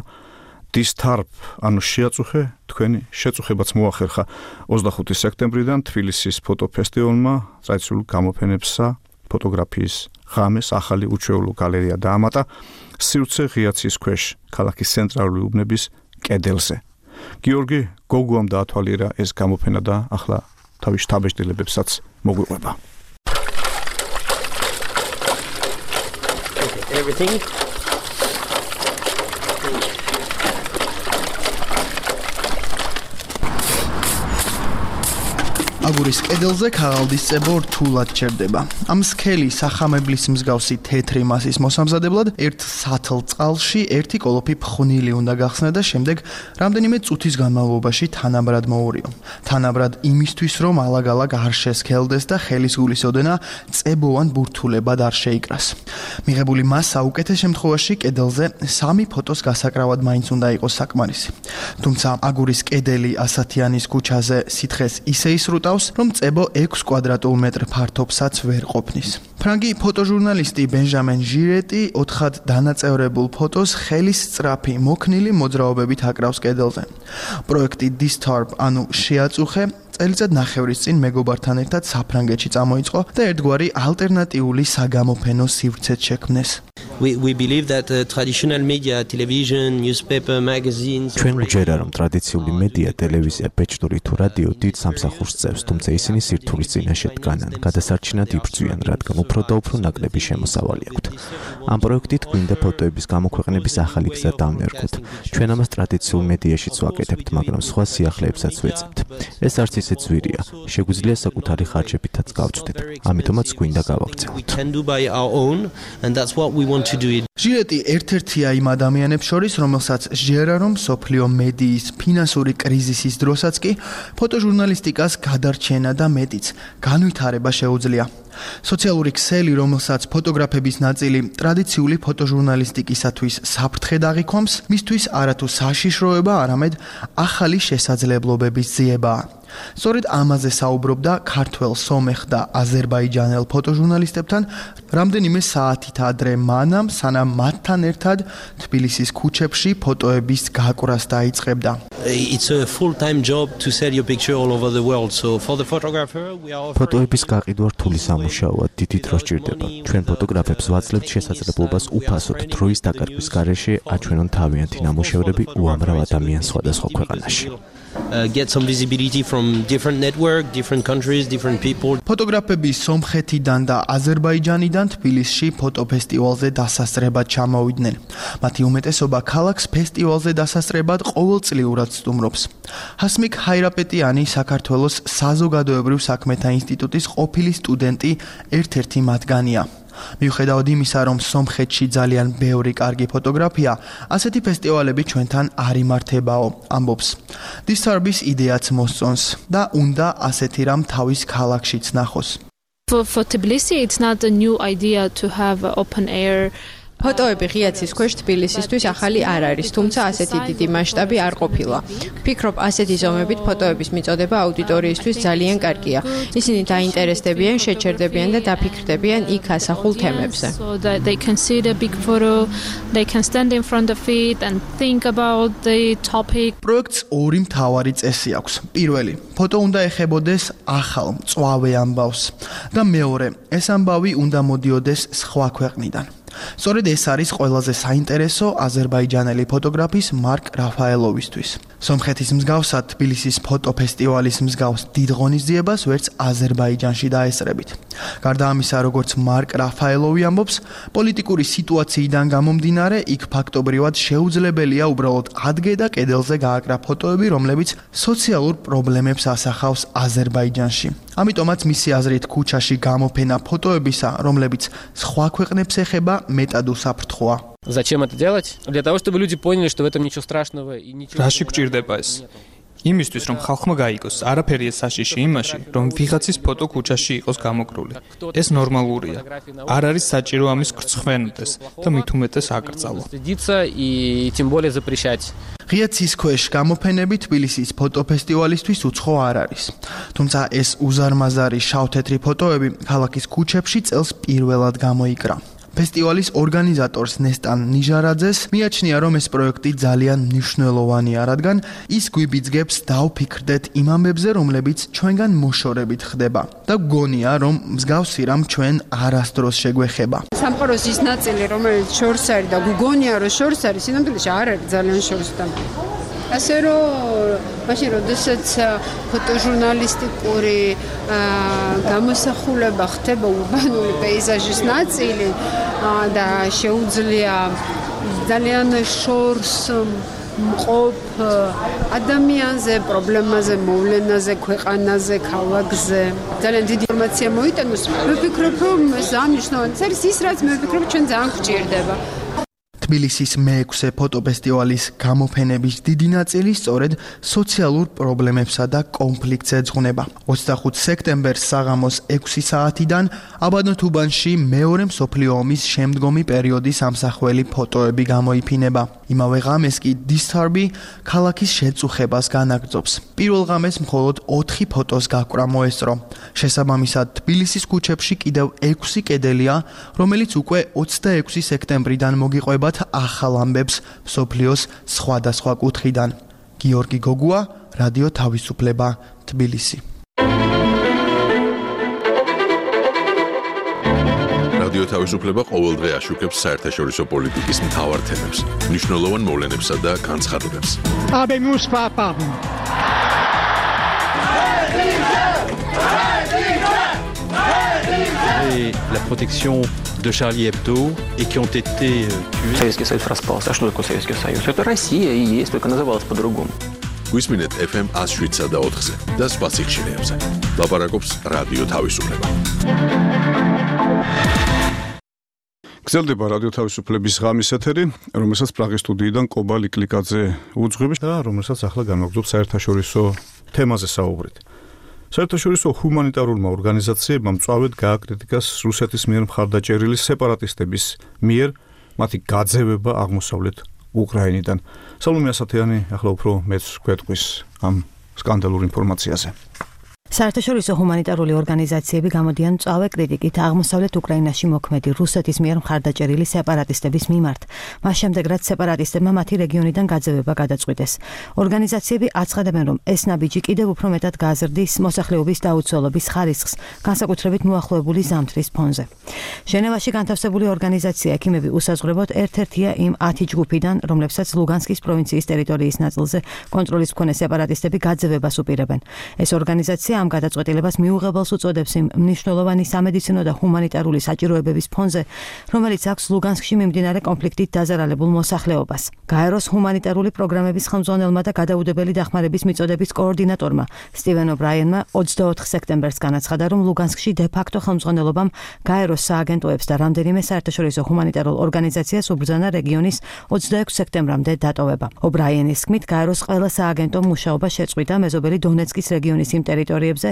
Distarb, ანუ შეაწუხე თქვენი შეწუხებაც მოახერხა ოცდახუთი სექტემბრიდან თბილისის ფოტოფესტივალმა ტრადიციულ გამოფენებსა ფოტოგრაფიის ღამეს ახალი უჩვეულო გალერეა დაამატა სივრცე ღიაცის ქვეშ ქალაქის ცენტრალური უბნების კედელზე. გიორგი გოგუამ დაათვალიერა ეს გამოფენა და ახლა თავის შთაბეჭდილებებსაც მოგვიყვება. Everything აგურის კედელზე ქაღალდის წებო რთულად ჩერდება. ამ სქელი სახამებლის მსგავსი თეთრი მასის მოსამზადებლად ერთ სათლ წყალში ერთი კოლოფი ფხვნილი უნდა გახსნა და შემდეგ რამდენიმე წუთის განმავლობაში თანაბრად მოურიო. თანაბრად იმისთვის, რომ ალაგ-ალაგ არ შესქელდეს და ხელის გულის ოდენა წებოვან ბურთულებად არ შეიკრას. მიღებული მასა უკეთეს შემთხვევაში კედელზე სამი ფოტოს გასაკრავად მაინც უნდა იყოს საკმარისი. თუმცა აგურის კედელი ასათიანის ქუჩაზე სითხეს ისე ისრუტავს, რომ წებო ექვს კვადრატულ მეტრ ფართობსაც ვერ ყოფნის. ფრანგი ფოტოჟურნალისტი ბენჟამენ ჟირეტი ოთხად დანაწევრებულ ფოტოს ხელის სწრაფი მოქნილი მოძრაობებით აკრავს კედელზე. პროექტი Distarb, ანუ შეაწუხე, წელიწად ნახევრის წინ მეგობართან ერთად საფრანგეთში წამოიწყო და ერთგვარი ალტერნატიული საგამოფენო სივრცეც შექმნეს. We we believe that uh, traditional media, television, newspaper, magazines ჩვენ გვჯერა რომ ტრადიციული მედია, ტელევიზია, ბეჭდური თუ რადიო დიდ სამსახურს წევს, თუმცა ისინი სირთულის წინაშე დგანან, გადასარჩენად იბრძვიან, რადგან უფრო და უფრო ნაკლები შემოსავალი აქვთ. ამ პროექტით გვინდა ფოტოების გამოქვეყნების ახალი გზა დავნერგოთ. ჩვენ ამას ტრადიციულ მედიაშიც ვაკეთებთ, მაგრამ სხვა სიახლეებსაც ვეძებთ. ეს არც ისე ძვირია, შეგვიძლია საკუთარი ხარჯებითაც გავწვდეთ. ამიტომაც გვინდა გავაგრძელოთ. ჟირეტი ერთ-ერთია იმ ადამიანებს შორის, რომელსაც სჯერა, რომ სოფლიო მედიის ფინანსური კრიზისის დროსაც კი ფოტოჟურნალისტიკას გადარჩენა და მეტიც განვითარება შეუძლია. სოციალური ქსელი, რომელსაც ფოტოგრაფების ნაწილი ტრადიციული ფოტოჟურნალისტიკისათვის საფრთხედ აღიქვამს, მისთვის არათუ საშიშროება, არამედ ახალი შესაძლებლობების ძიებაა. სწორედ ამაზე საუბრობდა ქართველ, სომეხ და აზერბაიჯანელ ფოტოჟურნალისტებთან რამდენიმე საათით ადრე მანამ, სანამ მათთან ერთად თბილისის ქუჩებში ფოტოების გაკვრას დაიწყებდა. It's a full-time job to sell your picture all over the world. So for the photographer, we are ფოტოების გაყიდვა რთული სამუშაოა, დიდი დრო სჭირდება. ჩვენ ფოტოგრაფებს ვაძლევთ შესაძლებლობას უფასოდ დროის დაკარგვის გარეშე აჩვენონ თავიანთი ნამუშევრები უამრავ ადამიანს სხვადასხვა ქვეყანაში. Uh, get some visibility from different network, different countries, different people. ფოტოგრაფები სომხეთიდან და აზერბაიჯანიდან თბილისში ფოტოფესტივალზე დასასწრებად ჩამოვიდნენ. მათი უმეტესობა ქალაქს ფესტივალზე დასასწრებად ყოველწლიურად სტუმრობს. ჰასმიკ ჰაირაპეტიანი საქართველოს საზოგადოებრივ საქმეთა ინსტიტუტის ყოფილი სტუდენტი ერთ-ერთი მათგანია. მიუხედავად იმისა, რომ სომხეთში ძალიან ბევრი კარგი ფოტოგრაფია, ასეთი ფესტივალები ჩვენთან არ იმართებაო, ამბობს. Disturb-ის იდეაც მოსწონს და უნდა ასეთი რამ თავის ქალაქშიც ნახოს. For, for Tbilisi, it's not a new idea to have open air. ფოტოები ღიაცის ქვეშ თბილისისთვის ახალი არ არის, თუმცა ასეთი დიდი მასშტაბი არ ყოფილა. ვფიქრობ, ასეთი ზომებით ფოტოების მიწოდება აუდიტორიისთვის ძალიან კარგია. ისინი დაინტერესდებიან, შეჩერდებიან და დაფიქრდებიან იქ ასახულ თემებზე. So that they can see the big photo, they can stand in front of it and think about the topic. პროექტს ორი მთავარი წესი აქვს. პირველი, ფოტო უნდა ეხებოდეს ახალ, მწვავე ამბავს და მეორე, ეს ამბავი უნდა მოდიოდეს სხვა ქვეყნიდან. სწორედ ეს არის ყველაზე საინტერესო აზერბაიჯანელი ფოტოგრაფის მარკ რაფაელოვისთვის. სომხეთის მსგავსად თბილისის ფოტოფესტივალის მსგავს დიდ ღონისძიებას ვერც აზერბაიჯანში დაესწრებით. გარდა ამისა, როგორც მარკ რაფაელოვი ამბობს, პოლიტიკური სიტუაციიდან გამომდინარე, იქ ფაქტობრივად შეუძლებელია უბრალოდ ადგე და კედელზე გააკრა ფოტოები, რომლებიც სოციალურ პრობლემებს ასახავს აზერბაიჯანში. ამიტომაც მისი აზრით ქუჩაში გამოფენა ფოტოებისა, რომლებიც სხვა ქვეყნებს ეხება, მეტად უსაფრთხოა. Зачем это делать? Для того, чтобы люди поняли, что в этом ничего страшного и ничего. Რაში გჭირდება ეს? იმისთვის, რომ ხალხმა გაიგოს, არაფერია საშიში იმაში, რომ ვიღაცის ფოტო ქუჩაში იყოს გამოკრული. ეს ნორმალურია. არ არის საჭირო ამის გრცხვენდეს და მით უმეტეს აკრძალო. и тем более запрещать. ღიაცის ქვეშ გამოფენები თბილისის ფოტოფესტივალისთვის უცხო არ არის. თუმცა ეს უზარმაზარი შავ-თეთრი ფოტოები ქალაქის ქუჩებში წელს პირველად გამოიკრა. ფესტივალის ორგანიზატორს ნესტან ნიჟარაძეს მიაჩნია, რომ ეს პროექტი ძალიან მნიშვნელოვანია, რადგან ის გვიბიძგებს დავფიქრდეთ იმ ამბებზე, რომლებიც ჩვენგან მოშორებით ხდება და გგონია, რომ მსგავსი რამ ჩვენ არასდროს შეგვეხება. სამყაროს ის ნაწილი, რომელიც შორს არის და გგონია, რომ შორს არის, სინამდვილეში არ არის ძალიან შორს და ასე რომ მაშინ როდესაც ფოტოჟურნალისტიკური გამოსახულება ხდება ურბანული პეიზაჟის ნაწილი და შეუძლია ძალიან შორს მყოფ ადამიანზე, პრობლემაზე, მოვლენაზე, ქვეყანაზე, ქალაქზე ძალიან დიდი ინფორმაცია მოიტანოს. მე ვფიქრობ, რომ ეს ამნიშნავენ, ეს ის რაც მე ვფიქრობ, ჩვენ ძალიან გვჭირდება. თბილისის მეექვსე ფოტოფესტივალის გამოფენების დიდი ნაწილი სწორედ სოციალურ პრობლემებსა და კონფლიქტს ეძღვნება. ოცდახუთ სექტემბერს საღამოს ექვსი საათიდან აბანოთუბანში მეორე მსოფლიო ომის შემდგომი პერიოდის ამსახველი ფოტოები გამოიფინება. იმავე ღამეს კი Disturb-ი ქალაქის შეწუხებას განაგრძობს. პირველ ღამეს მხოლოდ ოთხი ფოტოს გაკვრა მოესწრო. შესაბამისად, თბილისის ქუჩებში კიდევ ექვსი კედელია, რომელიც უკვე ოცდაექვსი სექტემბრიდან მოგიყვებათ ახალ ამბებს მსოფლიოს სხვადასხვა კუთხიდან. გიორგი გოგუა, რადიო თავისუფლება, თბილისი. რადიო თავისუფლება ყოველდღე აშუქებს საერთაშორისო პოლიტიკის მთავარ თემებს, მნიშვნელოვან მოვლენებსა და განცხადებებს. Habemus papam. Et la protection de Charlie Hebdo et qui ont été tués. Советский Союз распался. А что такое Советский Союз? Это Россия и есть, только называлась по-другому. გვისმინეთ эф эм one oh seven და four-ზე და სხვა სიხშირეებზე. ლაპარაკობს რადიო თავისუფლება. გრძელდება რადიო თავისუფლების ღამის ეთერი, რომელსაც პრაღის სტუდიიდან კობა ლიკლიკაძე უძღვებს და რომელსაც ახლა განვაგრძობ საერთაშორისო თემაზე საუბრით. საერთაშორისო ჰუმანიტარულმა ორგანიზაციებმა მწვავედ გააკრიტიკას რუსეთის მიერ მხარდაჭერილი სეპარატისტების მიერ მათი გაძევება აღმოსავლეთ უკრაინიდან. სალომე ასათიანი ახლა უფრო მეც გვეტყვის ამ სკანდალურ ინფორმაციაზე. საერთაშორისო ჰუმანიტარული ორგანიზაციები გამოდიან მწვავე კრიტიკით აღმოსავლეთ უკრაინაში მოქმედი რუსეთის მიერ მხარდაჭერილი სეპარატისტების მიმართ, მას შემდეგ რაც სეპარატისტებმა მათი რეგიონიდან გაძევება გადაწყვიტეს. ორგანიზაციები აცხადებენ, რომ ეს ნაბიჯი კიდევ უფრო მეტად გააზრდის მოსახლეობის დაუცველობის ხარისხს, განსაკუთრებით მოახლოებული ზამთრის ფონზე. ჟენევაში განთავსებული ორგანიზაცია ექიმები უსაზღვრებოდ ერთ-ერთია იმ ათი ჯგუფიდან, რომლებსაც ლუგანსკის პროვინციის ტერიტორიის ნაწილზე კონტროლის მქონე სეპარატისტები გაძევებას უპირებენ. ეს ორგანიზაცია ამ გადაწყვეტილებას მიუღებელს უწოდებს იმ მნიშვნელოვანი სამედიცინო და ჰუმანიტარული საჭიროებების ფონზე, რომელიც აქვს ლუგანსკში მიმდინარე კონფლიქტით დაზარალებულ მოსახლეობას. გაეროს ჰუმანიტარული პროგრამების ხელმძღვანელმა და გადაუდებელი დახმარების მიწოდების კოორდინატორმა სტივენ ობრაიენმა ოცდაოთხ სექტემბერს განაცხადა, რომ ლუგანსკში დე-ფაქტო ხელმძღვანელობამ გაეროს სააგენტოებს და რამდენიმე საერთაშორისო ჰუმანიტარულ ორგანიზაციას უბრძანა რეგიონის ოცდაექვსი სექტემბრამდე დატოვება. ობრაიენის თქმით, გაეროს ყველა სააგენტომ მუშაობა შეწყვიტა მეზობელი დონეცკის რეგიონის იმ ტერიტორიებზე,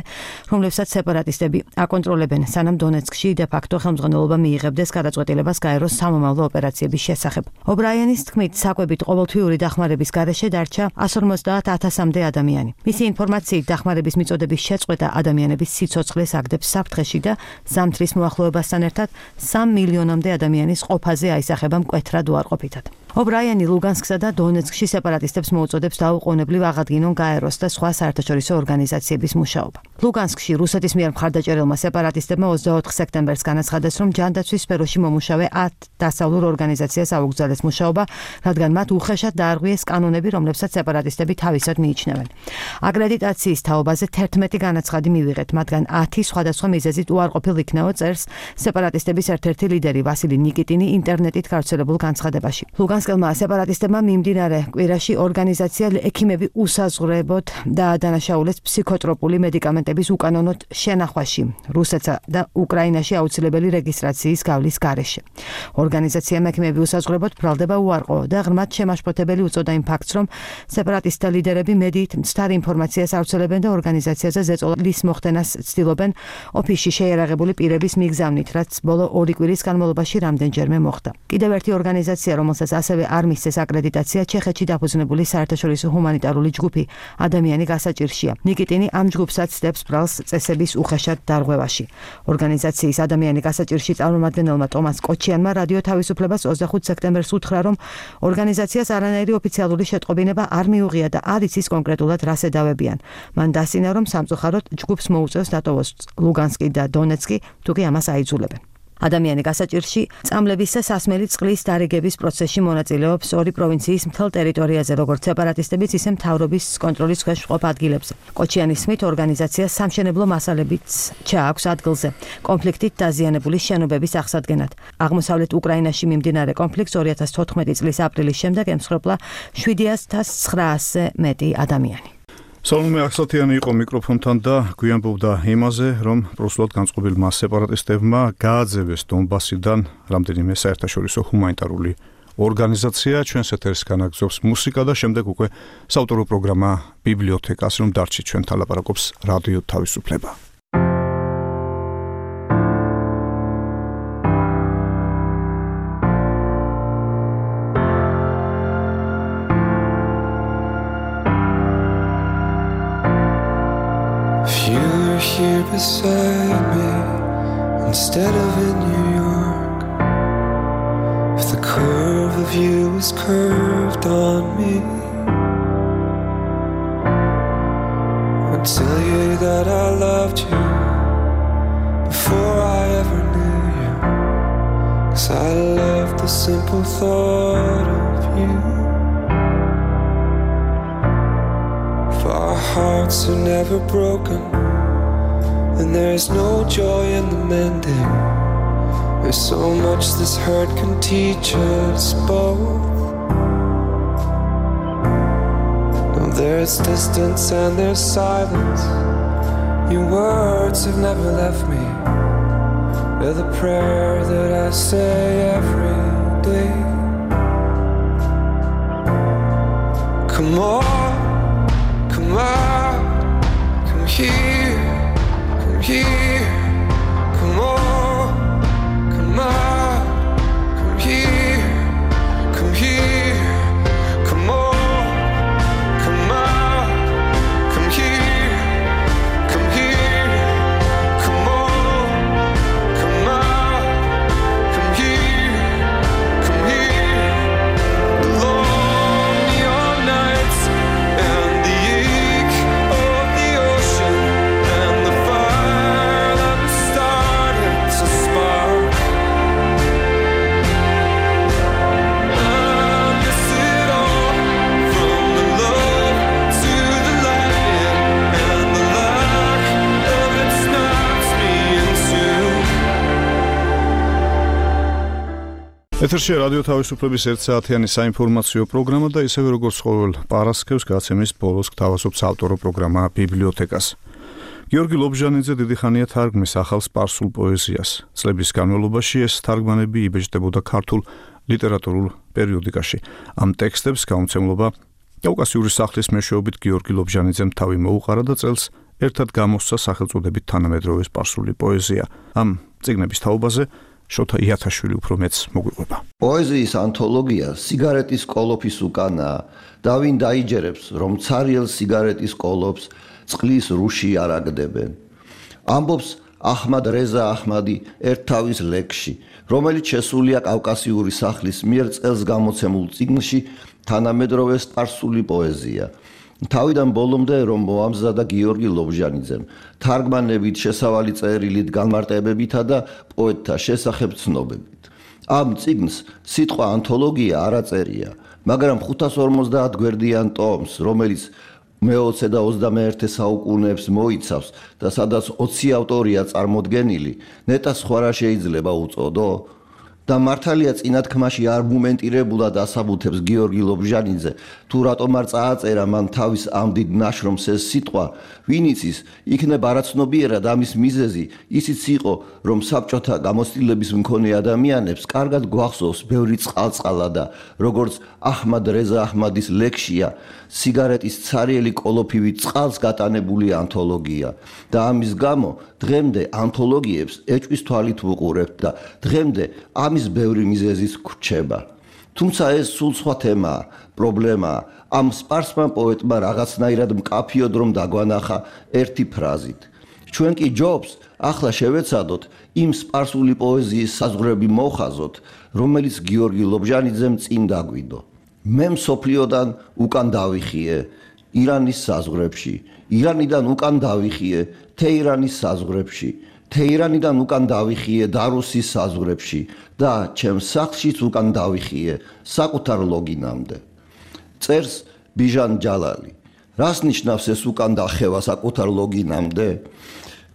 რომლებსაც სეპარატისტები აკონტროლებენ, სანამ დონეცკში დე-ფაქტო ხელმძღვანელობა მიიღებდეს გადაწყვეტილებას გაეროს სამომავლო ოპერაციების შესახებ. ობრაიენის თქმით, საკვებით ყოველთვიური დახმარების გარეშე დარჩა εκατს ორმოცდაათ ათასამდე ადამიანი. მისი ინფორმაციით, დახმარების მიწოდების შეწყვეტა ადამიანების სიცოცხლეს აგდებს საფრთხეში და ზამთრის მოახლოებასთან ერთად სამ მილიონამდე ადამიანის ყოფაზე აისახება მკვეთრად უარყოფითად. ობრაიანი ლუგანსკსა და დონეცკში სეპარატისტებს მოუწოდებს დაუყოვნებლივ აღადგინონ გაეროს და სხვა საერთაშორისო ორგანიზაციების მუშაობა. ლუგანსკში რუსეთის მიერ მხარდაჭერილმა სეპარატისტებმა ოცდაოთხ სექტემბერს განაცხადეს, რომ ჯანდაცვის სფეროში მომუშავე ათ დასავლურ ორგანიზაციას აუგზავნეს მუშაობა, რადგან მათ უხეშად დაარღვიეს კანონები, რომლებსაც სეპარატისტები თავისად მიიჩნევენ. აკრედიტაციის თაობაზე თერთმეტი განაცხადი მივიღეთ, მათგან ათი სხვადასხვა მიზეზით უარყოფილ იქნაო, წერს სეპარატისტების ერთ-ერთი ლიდერი ვასილი ნიკიტინი ინტერნეტით გავრცელებულ განცხადებაში. ლუგანსკელმა სეპარატისტებმა მიმდინარე კვირაში ორგანიზაცია ექიმები უსაზღვრებოდ დაადანაშაულეს ფსიქოტროპული მედიკამენტების უკანონოდ შენახვაში რუსეთსა და უკრაინაში აუცილებელი რეგისტრაციის გავლის გარეშე. ორგანიზაციამ ექიმები უსაზღვრებოდ ბრალდება უარყო და ღრმად შემაშფოთებელი უწოდა იმ ფაქტს, რომ სეპარატისტთა ლიდერები მედიით მცდარ ინფორმაციას ავრცელებენ და ორგანიზაციაზე ზეწოლის მოხდენას ცდილობენ ოფისში შეიარაღებული პირების მიგზავნით, რაც ბოლო ორი კვირის განმავლობაში რამდენჯერმე მოხდა. კიდევ ერთი ორგანიზაცია, რომელსაც ასევე არ მისცეს აკრედიტაცია, ჩეხეთში დაფუძნებული საერთაშორისო ჰუმანიტარული ჯგუფი ადამიანი გასაჭირშია. ნიკიტინი ამ ჯგუფსაც ცდებს ბრალს წესების უხეშად დარღვევაში. ორგანიზაციის ადამიანი გასაჭირში წარმომადგენელმა ტომას კოჩიანმა რადიო თავისუფლებას ოცდახუთ სექტემბერს უთხრა, რომ ორგანიზაციას არანაირი ოფიციალური შეტყობინება არ მიუღია და არ იცის კონკრეტულად რას ედავებიან. მან დასინა, რომ სამწუხაროდ ჯგუფს მოუწევს დატოვოს ლუგანსკი და დონეცკი, თუკი ამას აიძულებენ. ადამიანი გასაჭირში წამლების და სასმელი წყლის დარიგების პროცესში მონაწილეობს ორი პროვინციის მთელ ტერიტორიაზე, როგორც სეპარატისტების, ისე მთავრობის კონტროლის ქვეშ მყოფ ადგილებზე. კოჩიანის თქმით, ორგანიზაციას სამშენებლო მასალებიც ჩააქვს ადგილზე, კონფლიქტით დაზიანებული შენობების აღსადგენად. აღმოსავლეთ უკრაინაში მიმდინარე კონფლიქტს ორი ათას თოთხმეტი წლის აპრილის შემდეგ ემსხვერპლა შვიდი ათას ცხრაასზე მეტი ადამიანი. სალომე ახსათიანი იყო მიკროფონთან და გვიანბობდა იმაზე, რომ პროსულად განწყობილმა სეპარატისტებმა გააძევეს დონბასიდან რამდენიმე საერთაშორისო ჰუმანიტარული ორგანიზაცია. ჩვენს ეთერს განაგზობს მუსიკა და შემდეგ უკვე საავტორო პროგრამა ბიბლიოთეკას, რომ დარჩით ჩვენთან ლაპარაკობს რადიო თავისუფლება. Here beside me instead of in New York, if the curve of you was curved on me, I'd tell you that I loved you before I ever knew you, 'cause I loved the simple thought of you. If our hearts are never broken, and there's no joy in the mending, there's so much this hurt can teach us both. Now there's distance and there's silence, your words have never left me, they're the prayer that I say every day. Come on, come on, come here, here, come on, come on, come here, come here, come on, come on, come here, come here, come on, come on, come here, come here. The long neon nights ეთერშია რადიო თავისუფლების ერთ საათიანი საინფორმაციო პროგრამა და ისევე როგორც ყოველ პარასკევს გაცემის ბოლოს გთავაზობს ავტორო პროგრამა ბიბლიოთეკას. გიორგი ლობჟანიძე დიდი ხანია თარგმნის ახალ სპარსულ პოეზიას. წლების განმავლობაში ეს თარგმანები იბეჭდებოდა ქართულ ლიტერატურულ პერიოდიკაში. ამ ტექსტებს გამოცემლობა კავკასიური სახლის მეშვეობით გიორგი ლობჟანიძემ თავი მოუყარა და წელს ერთად გამოსცა სახელწოდებით თანამედროვე სპარსული პოეზია. ამ წიგნების თაობაზე შოთა იათაშვილი უფრო მეც მოგვიყვება. პოეზიის ანთოლოგია სიგარეტის კოლოფის უკანაა და ვინ დაიჯერებს, რომ ცარიელ სიგარეტის კოლოფს წყლის რუში არაგდებენ. ამბობს აჰმად რეზა აჰმადი ერთავის ლექსში, რომელიც შესულია კავკასიური სახლის მიერ წელს გამოცემულ წიგნში თანამედროვე სპარსული პოეზია. თავიდან ბოლომდე რომ მოამზადა გიორგი ლობჟანიძემ, თარგმანებით, შესავალი წერილით, განმარტებებითა და პოეტთა შესახებ ცნობებით. ამ წიგნს სიტყვა ანთოლოგია არ აწერია, მაგრამ ხუთას ორმოცდაათ გვერდიან ტომს, რომელიც მეოცე და ოცდამეერთე საუკუნეებს მოიცავს და სადაც ოცი ავტორია წარმოდგენილი, ნეტა სხვა რა შეიძლება უწოდო? და მართალია წინათქმაში არგუმენტირებულად ასაბუთებს გიორგი ლობჟანიძე, თუ რატომ არ წააწერა მან თავის ამ დიდ ნაშრომს ეს სიტყვა, ვინ იცის, იქნებ არაცნობიერად ამის მიზეზი ისიც იყო, რომ საბჭოთა გამოცდილების მქონე ადამიანებს კარგად გვახსოვს ბევრი წყალწყალა და როგორც აჰმად რეზა აჰმადის ლექსია, სიგარეტის ცარიელი კოლოფივით წყალს გატანებული ანთოლოგია და ამის გამო დღემდე ანთოლოგიებს ეჭვის თვალით ვუყურებთ და დღემდე ამის ბევრი მიზეზის გრჩება. თუმცა ეს სულ სხვა თემაა, პრობლემაა. ამ სპარსმა პოეტმა რაღაცნაირად მკაფიოდ რომ დაგვანახა ერთი ფრაზით. ჩვენ კი ჯობს ახლა შევეცადოთ იმ სპარსული პოეზიის საზღვრები მოხაზოთ, რომელიც გიორგი ლობჟანიძემ წინ დაგვიდო. მე მსოფლიოდან უკან დავიხიე ირანის საზღვრებში, ირანიდან უკან დავიხიე თეირანის საზღვრებში, თეირანიდან უკან დავიხიე დარუსის საზღვრებში და ჩემს სახლშიც უკან დავიხიე საკუთარ ლოგინამდე. წერს ბიჟან ჯალალი. რას ნიშნავს ეს უკან დახევა საკუთარ ლოგინამდე?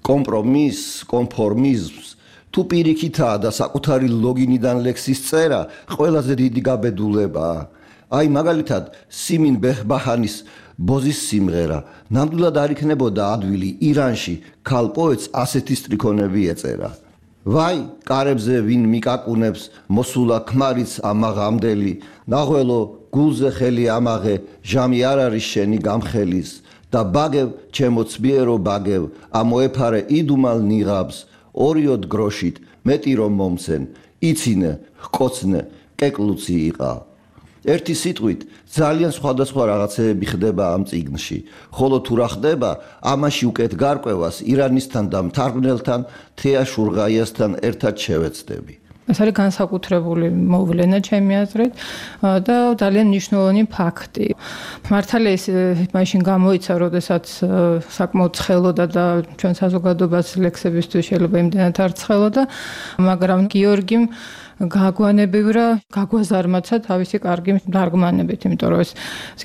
კომპრომისს, კონფორმიზმს, თუ პირიქითაა და საკუთარი ლოგინიდან ლექსის წერა ყველაზე დიდი გაბედულებაა. აი მაგალითად სიმინ ბეჰბაჰანის ბოზის სიმღერა ნამდვილად არ იქნებოდა ადვილი ირანში ქალ პოეტს ასეთი სტრიქონები ეწერა. ვაი კარებზე ვინ მიკაკუნებს მოსულა ქმარიც ამაღამდელი, ნაღველო გულზე ხელი ამაღე, ჟამი არ არის შენი გამხელის და ბაგევ ჩემო ცბიერო ბაგევ, ამოეფარე იდუმალ ნიღაბს, ორიოდ გროშით მეტი რომ მომცენ, იცინე, ჰკოცნე, კეკლუცი იყა. ერთი სიტყვით ძალიან სხვადასხვა რაღაცეები ხდება ამ წიგნში, ხოლო თუ რა ხდება, ამაში უკეთ გარკვევას ირანისთან და მთარგმნელთან თეა შურღაიასთან ერთად შევეცდები. ეს არის განსაკუთრებული მოვლენა ჩემი აზრით და ძალიან მნიშვნელოვანი ფაქტი. მართალია ეს მაშინ გამოიცა, როდესაც საკმაოდ ცხელოდა და ჩვენ საზოგადოებას ლექსებისთვის შეიძლება იმდენად არ ცხელოდა, მაგრამ გიორგიმ გაგვანებივრა, გაგვაზარმაცა თავისი კარგი თარგმანებით, იმიტომ რომ ეს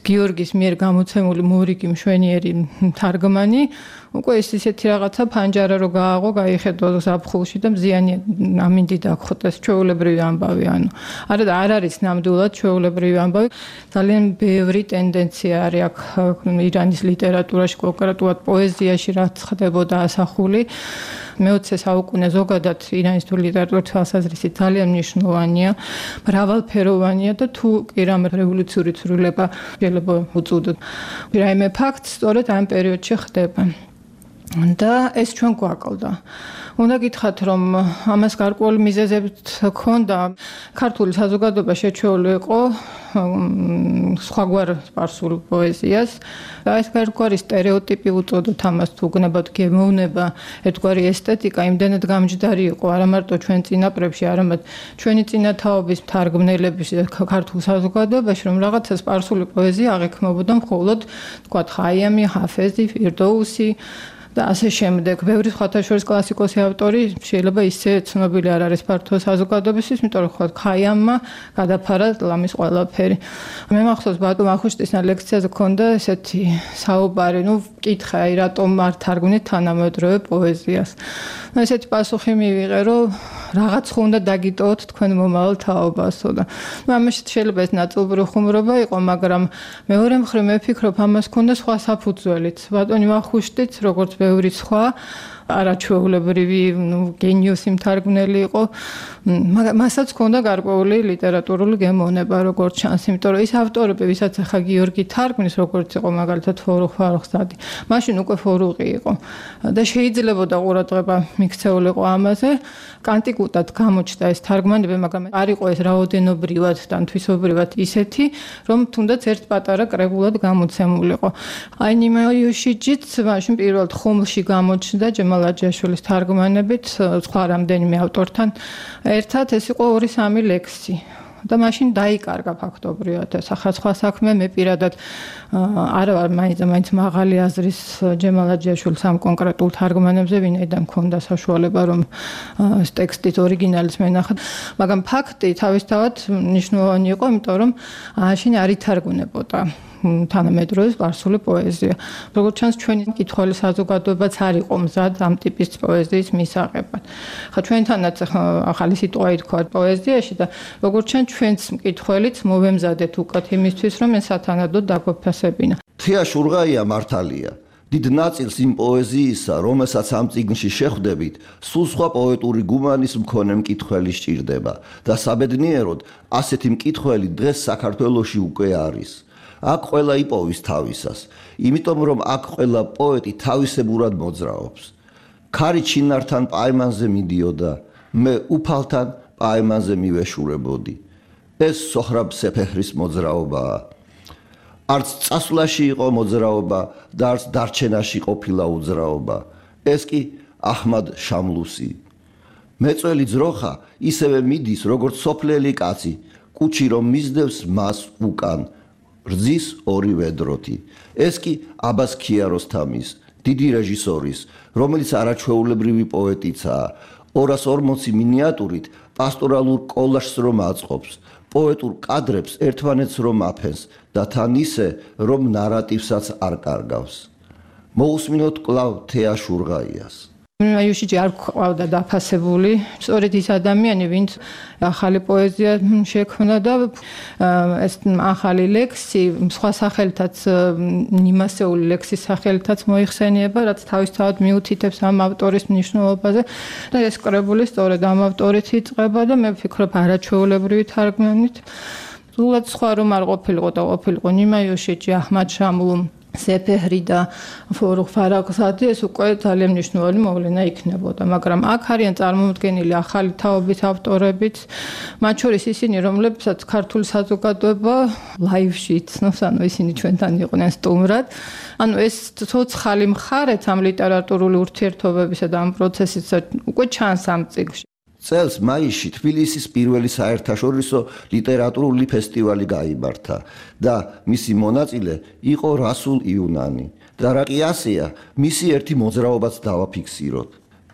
გიორგის მიერ გამოცემული მორიგი მშვენიერი თარგმანი უკვე ეს ისეთი რაღაცა ფანჯარა რო გააღო, გაიხედო ზაფხულში და მზიანი ამინდი დაგხვდეს, ჩვეულებრივი ამბავი, ანუ არა და არ არის ნამდვილად ჩვეულებრივი ამბავი. ძალიან ბევრი ტენდენცია არის აქ ირანის ლიტერატურაში, კონკრეტულად პოეზიაში, რაც ხდებოდა ასახული. მეოცე საუკუნე ზოგადად ირანის ლიტერატურის თვალსაზრისით ძალიან მნიშვნელოვანია, მრავალფეროვანია და თუ კი რამ რევოლუციური ცვლილება შეიძლება უწოდოთ. რაიმე ფაქტს სწორედ ამ პერიოდში ხდება. და ეს ჩვენ გვაკლდა. უნდა გითხრათ, რომ ამას გარკვეული მიზეზებით ჰქონდა. ქართული საზოგადოება შეჩეული იყო სხვაგვარ სპარსულ პოეზიას. და ეს გარკვეული სტერეოტიპი უწოდოთ ამას, თუ გნებად გემოვნება ერთგვარი ესთეტიკა იმდენად გამჯდარი იყო, არა მარტო ჩვენ წინაპრებში, არამედ ჩვენი წინათაობის თარგმნელების ქართულ საზოგადოებაში, რომ რაღაცა სპარსული პოეზია აღიქმებოდა მხოლოდ, თქვათ, ხაიამი, ჰაფეზი, ფირდოუსი და ასე შემდეგ. ბევრი სხვათა შორის კლასიკოსი ავტორი შეიძლება ისე ცნობილი არ არის ფართო საზოგადოებისთვის, იმიტომ რომ ხოთ ხაიამმა გადაფარა ლამის ყველაფერი. მე მახსოვს ბატონ ახუშტისთან ლექციაზე ქონდა ესეთი საუბარი, ну, კითხა, აი რატომ არ თარგმნით თანამედროვე პოეზიას. ну, ესეთი პასუხი მივიღე, რომ რაღაც ხო უნდა დაგიტოვოთ თქვენ მომავალ თაობასო და ნუ ამაში შეიძლება ეს ნაწილობრივ ხუმრობა იყო, მაგრამ მეორე მხრივ მე ვფიქრობ ამას ქონდა სხვა საფუძველიც. ბატონი ვახუშტიც როგორც ბევრი სხვა არაჩვეულებრივი, ნუ გენიოსი მთარგმნელი იყო, მასაც ჰქონდა გარკვეული ლიტერატურული გემოვნება, როგორც ჩანს, იმიტომ რომ ის ავტორები, ვისაც ახლა გიორგი თარგმნის, როგორც იყო მაგალითად ფორუხ ფარუხზადი, მაშინ უკვე ფორუყი იყო და შეიძლებოდა ყურადღება მიქცეულიყო ამაზე. კანტიკუტად გამოჩნდა ეს თარგმანები, მაგრამ არ იყო ეს რაოდენობრივად და თვისობრივად ისეთი, რომ თუნდაც ერთ პატარა კრებულად გამოცემულიყო. აი ნიმაიუშიჯიც მაშინ პირველად ხუმლში გამოჩნდა ჯემალაჯაშვილის თარგმანებით, სხვა რამდენიმე ავტორთან ერთად, ეს იყო ორი სამი ლექსი. და მაშინ დაიკარგა ფაქტობრივად ეს ახლა სხვა საქმე მე პირადად არა ვარ მაინც მაინც მაღალი აზრის ჯემალაჯაშვილის ამ კონკრეტულ თარგმანებზე, ვინაიდან მქონდა საშუალება რომ ეს ტექსტით ორიგინალის მენახა, მაგრამ ფაქტი თავისთავად მნიშვნელოვანი იყო, იმიტომ რომ მაშინ არ ითარგმნებოდა თანამედროვე სპარსული პოეზია. როგორც ჩანს, ჩვენი მკითხველი საზოგადოებაც არ იყო მზად ამ ტიპის პოეზიის მისაღებად. ხა ჩვენთანაც ახალი სიტყვა ითქვა პოეზიაში და როგორც ჩანს, ჩვენც მკითხველიც მოვემზადეთ უკეთ იმისთვის, რომ ეს სათანადოდ დაგვეფასებინა. თეა შურღაია მართალია. დიდ ნაწილს იმ პოეზიისა, რომელსაც ამ წიგნში შეხვდებით, სულ სხვა პოეტური გუმანის მქონე მკითხველი სჭირდება და საბედნიეროდ ასეთი მკითხველი დღეს საქართველოში უკვე არის. აქ ყველა იპოვის თავისას, იმიტომ რომ აქ ყველა პოეტი თავისებურად მოძრაობს. ქარი ჩინართან პაემანზე მიდიოდა, მე უფალთან პაემანზე მივეშურებოდი. ეს სოხრაბ სეფეჰრის მოძრაობაა. არც წასვლაში იყო მოძრაობა და არც დარჩენაში ყოფილა უძრაობა. ეს კი აჰმად შამლუსი. მეწველი ძროხა ისევე მიდის, როგორც სოფლელი კაცი, კუჩი რომ მისდევს მას უკან. რძის ორი ვედროთი. ეს კი აბას ქიაროსთამის, დიდი რეჟისორის, რომელიც არაჩვეულებრივი პოეტიცაა, ორას ორმოცი მინიატურით პასტორალურ კოლაჟს რომ აწყობს, პოეტურ კადრებს ერთმანეთს რომ აფენს და თან ისე, რომ ნარატივსაც არ კარგავს. მოусმინოთ კვლავ თეა შურღაიას. აიუშიჯი არ ყავდა დაფასებული, სწორედ ის ადამიანი, ვინც ახალი პოეზია შექმნა და ეს ახალი ლექსი სხვა სახელითაც ნიმასეული ლექსის სახელითაც მოიხსენიება, რაც თავისთავად მიუთითებს ამ ავტორის მნიშვნელობაზე და ეს კრებული სწორედ ამ ავტორით იწყება და მე ვფიქრობ არაჩვეულებრივი თარგმანით. სულად სხვა რომ არ ყოფილიყო და ყოფილიყო ნიმაიუშიჯი, აჰმად შამლუ, სეფეჰრი და ფორუხ ფარაღზადი, ეს უკვე ძალიან მნიშვნელოვანი მოვლენა იქნებოდა, მაგრამ აქ არიან წარმოუდგენელი ახალი თაობის ავტორებიც, მათ შორის ისინი, რომლებსაც ქართული საზოგადოება ლაივში იცნობს, ანუ ისინი ჩვენთან იყვნენ სტუმრად. ანუ ეს ცოცხალი მხარეც ამ ლიტერატურული ურთიერთობებისა და ამ პროცესისა უკვე ჩანს ამ წიგნში. წელს მაისში თბილისის პირველი საერთაშორისო ლიტერატურული ფესტივალი გაიმართა და მისი მონაწილე იყო რასულ იუნანი. და რა კი ასეა, მისი ერთი მოძრაობაც დავაფიქსიროთ.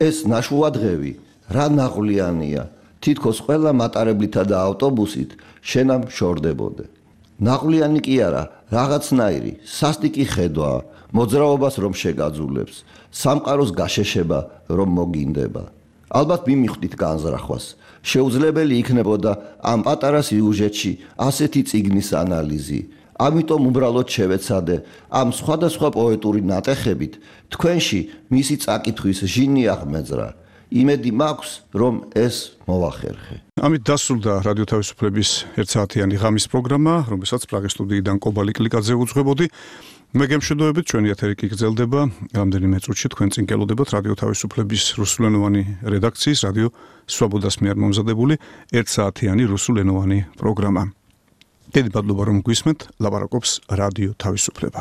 ეს ნაშუადღევი რა ნაღვლიანია, თითქოს ყველა მატარებლითა და ავტობუსით შენამ შორდებოდე. ნაღვლიანი კი არა, რაღაცნაირი, სასტიკი ხედვაა, მოძრაობას რომ შეგაძულებს, სამყაროს გაშეშება რომ მოგინდება. ალბათ მიმიხვდით განზრახვას. შეუძლებელი იქნებოდა ამ პატარა სიუჟეტში ასეთი წიგნის ანალიზი. ამიტომ უბრალოდ შევეცადე ამ სხვადასხვა პოეტური ნატეხებით თქვენში მისი წაკითხვის ჟინი აღმეძრა. იმედი მაქვს, რომ ეს მოვახერხე. ამით დასრულდა რადიო თავისუფლების ერთსაათიანი ღამის პროგრამა, რომელსაც პრაღის სტუდიიდან კობალი კლიკაძე უძღვებოდი. მე გემშვიდობებით, ჩვენი ეთერი კი გრძელდება. რამდენიმე წუთში თქვენ წინ გელოდებათ რადიო თავისუფლების რუსულენოვანი რედაქციის რადიო სვაბოდას მიერ მომზადებული ერთსაათიანი რუსულენოვანი პროგრამა. დიდი მადლობა რომ გვისმენთ, ლაპარაკობს რადიო თავისუფლება.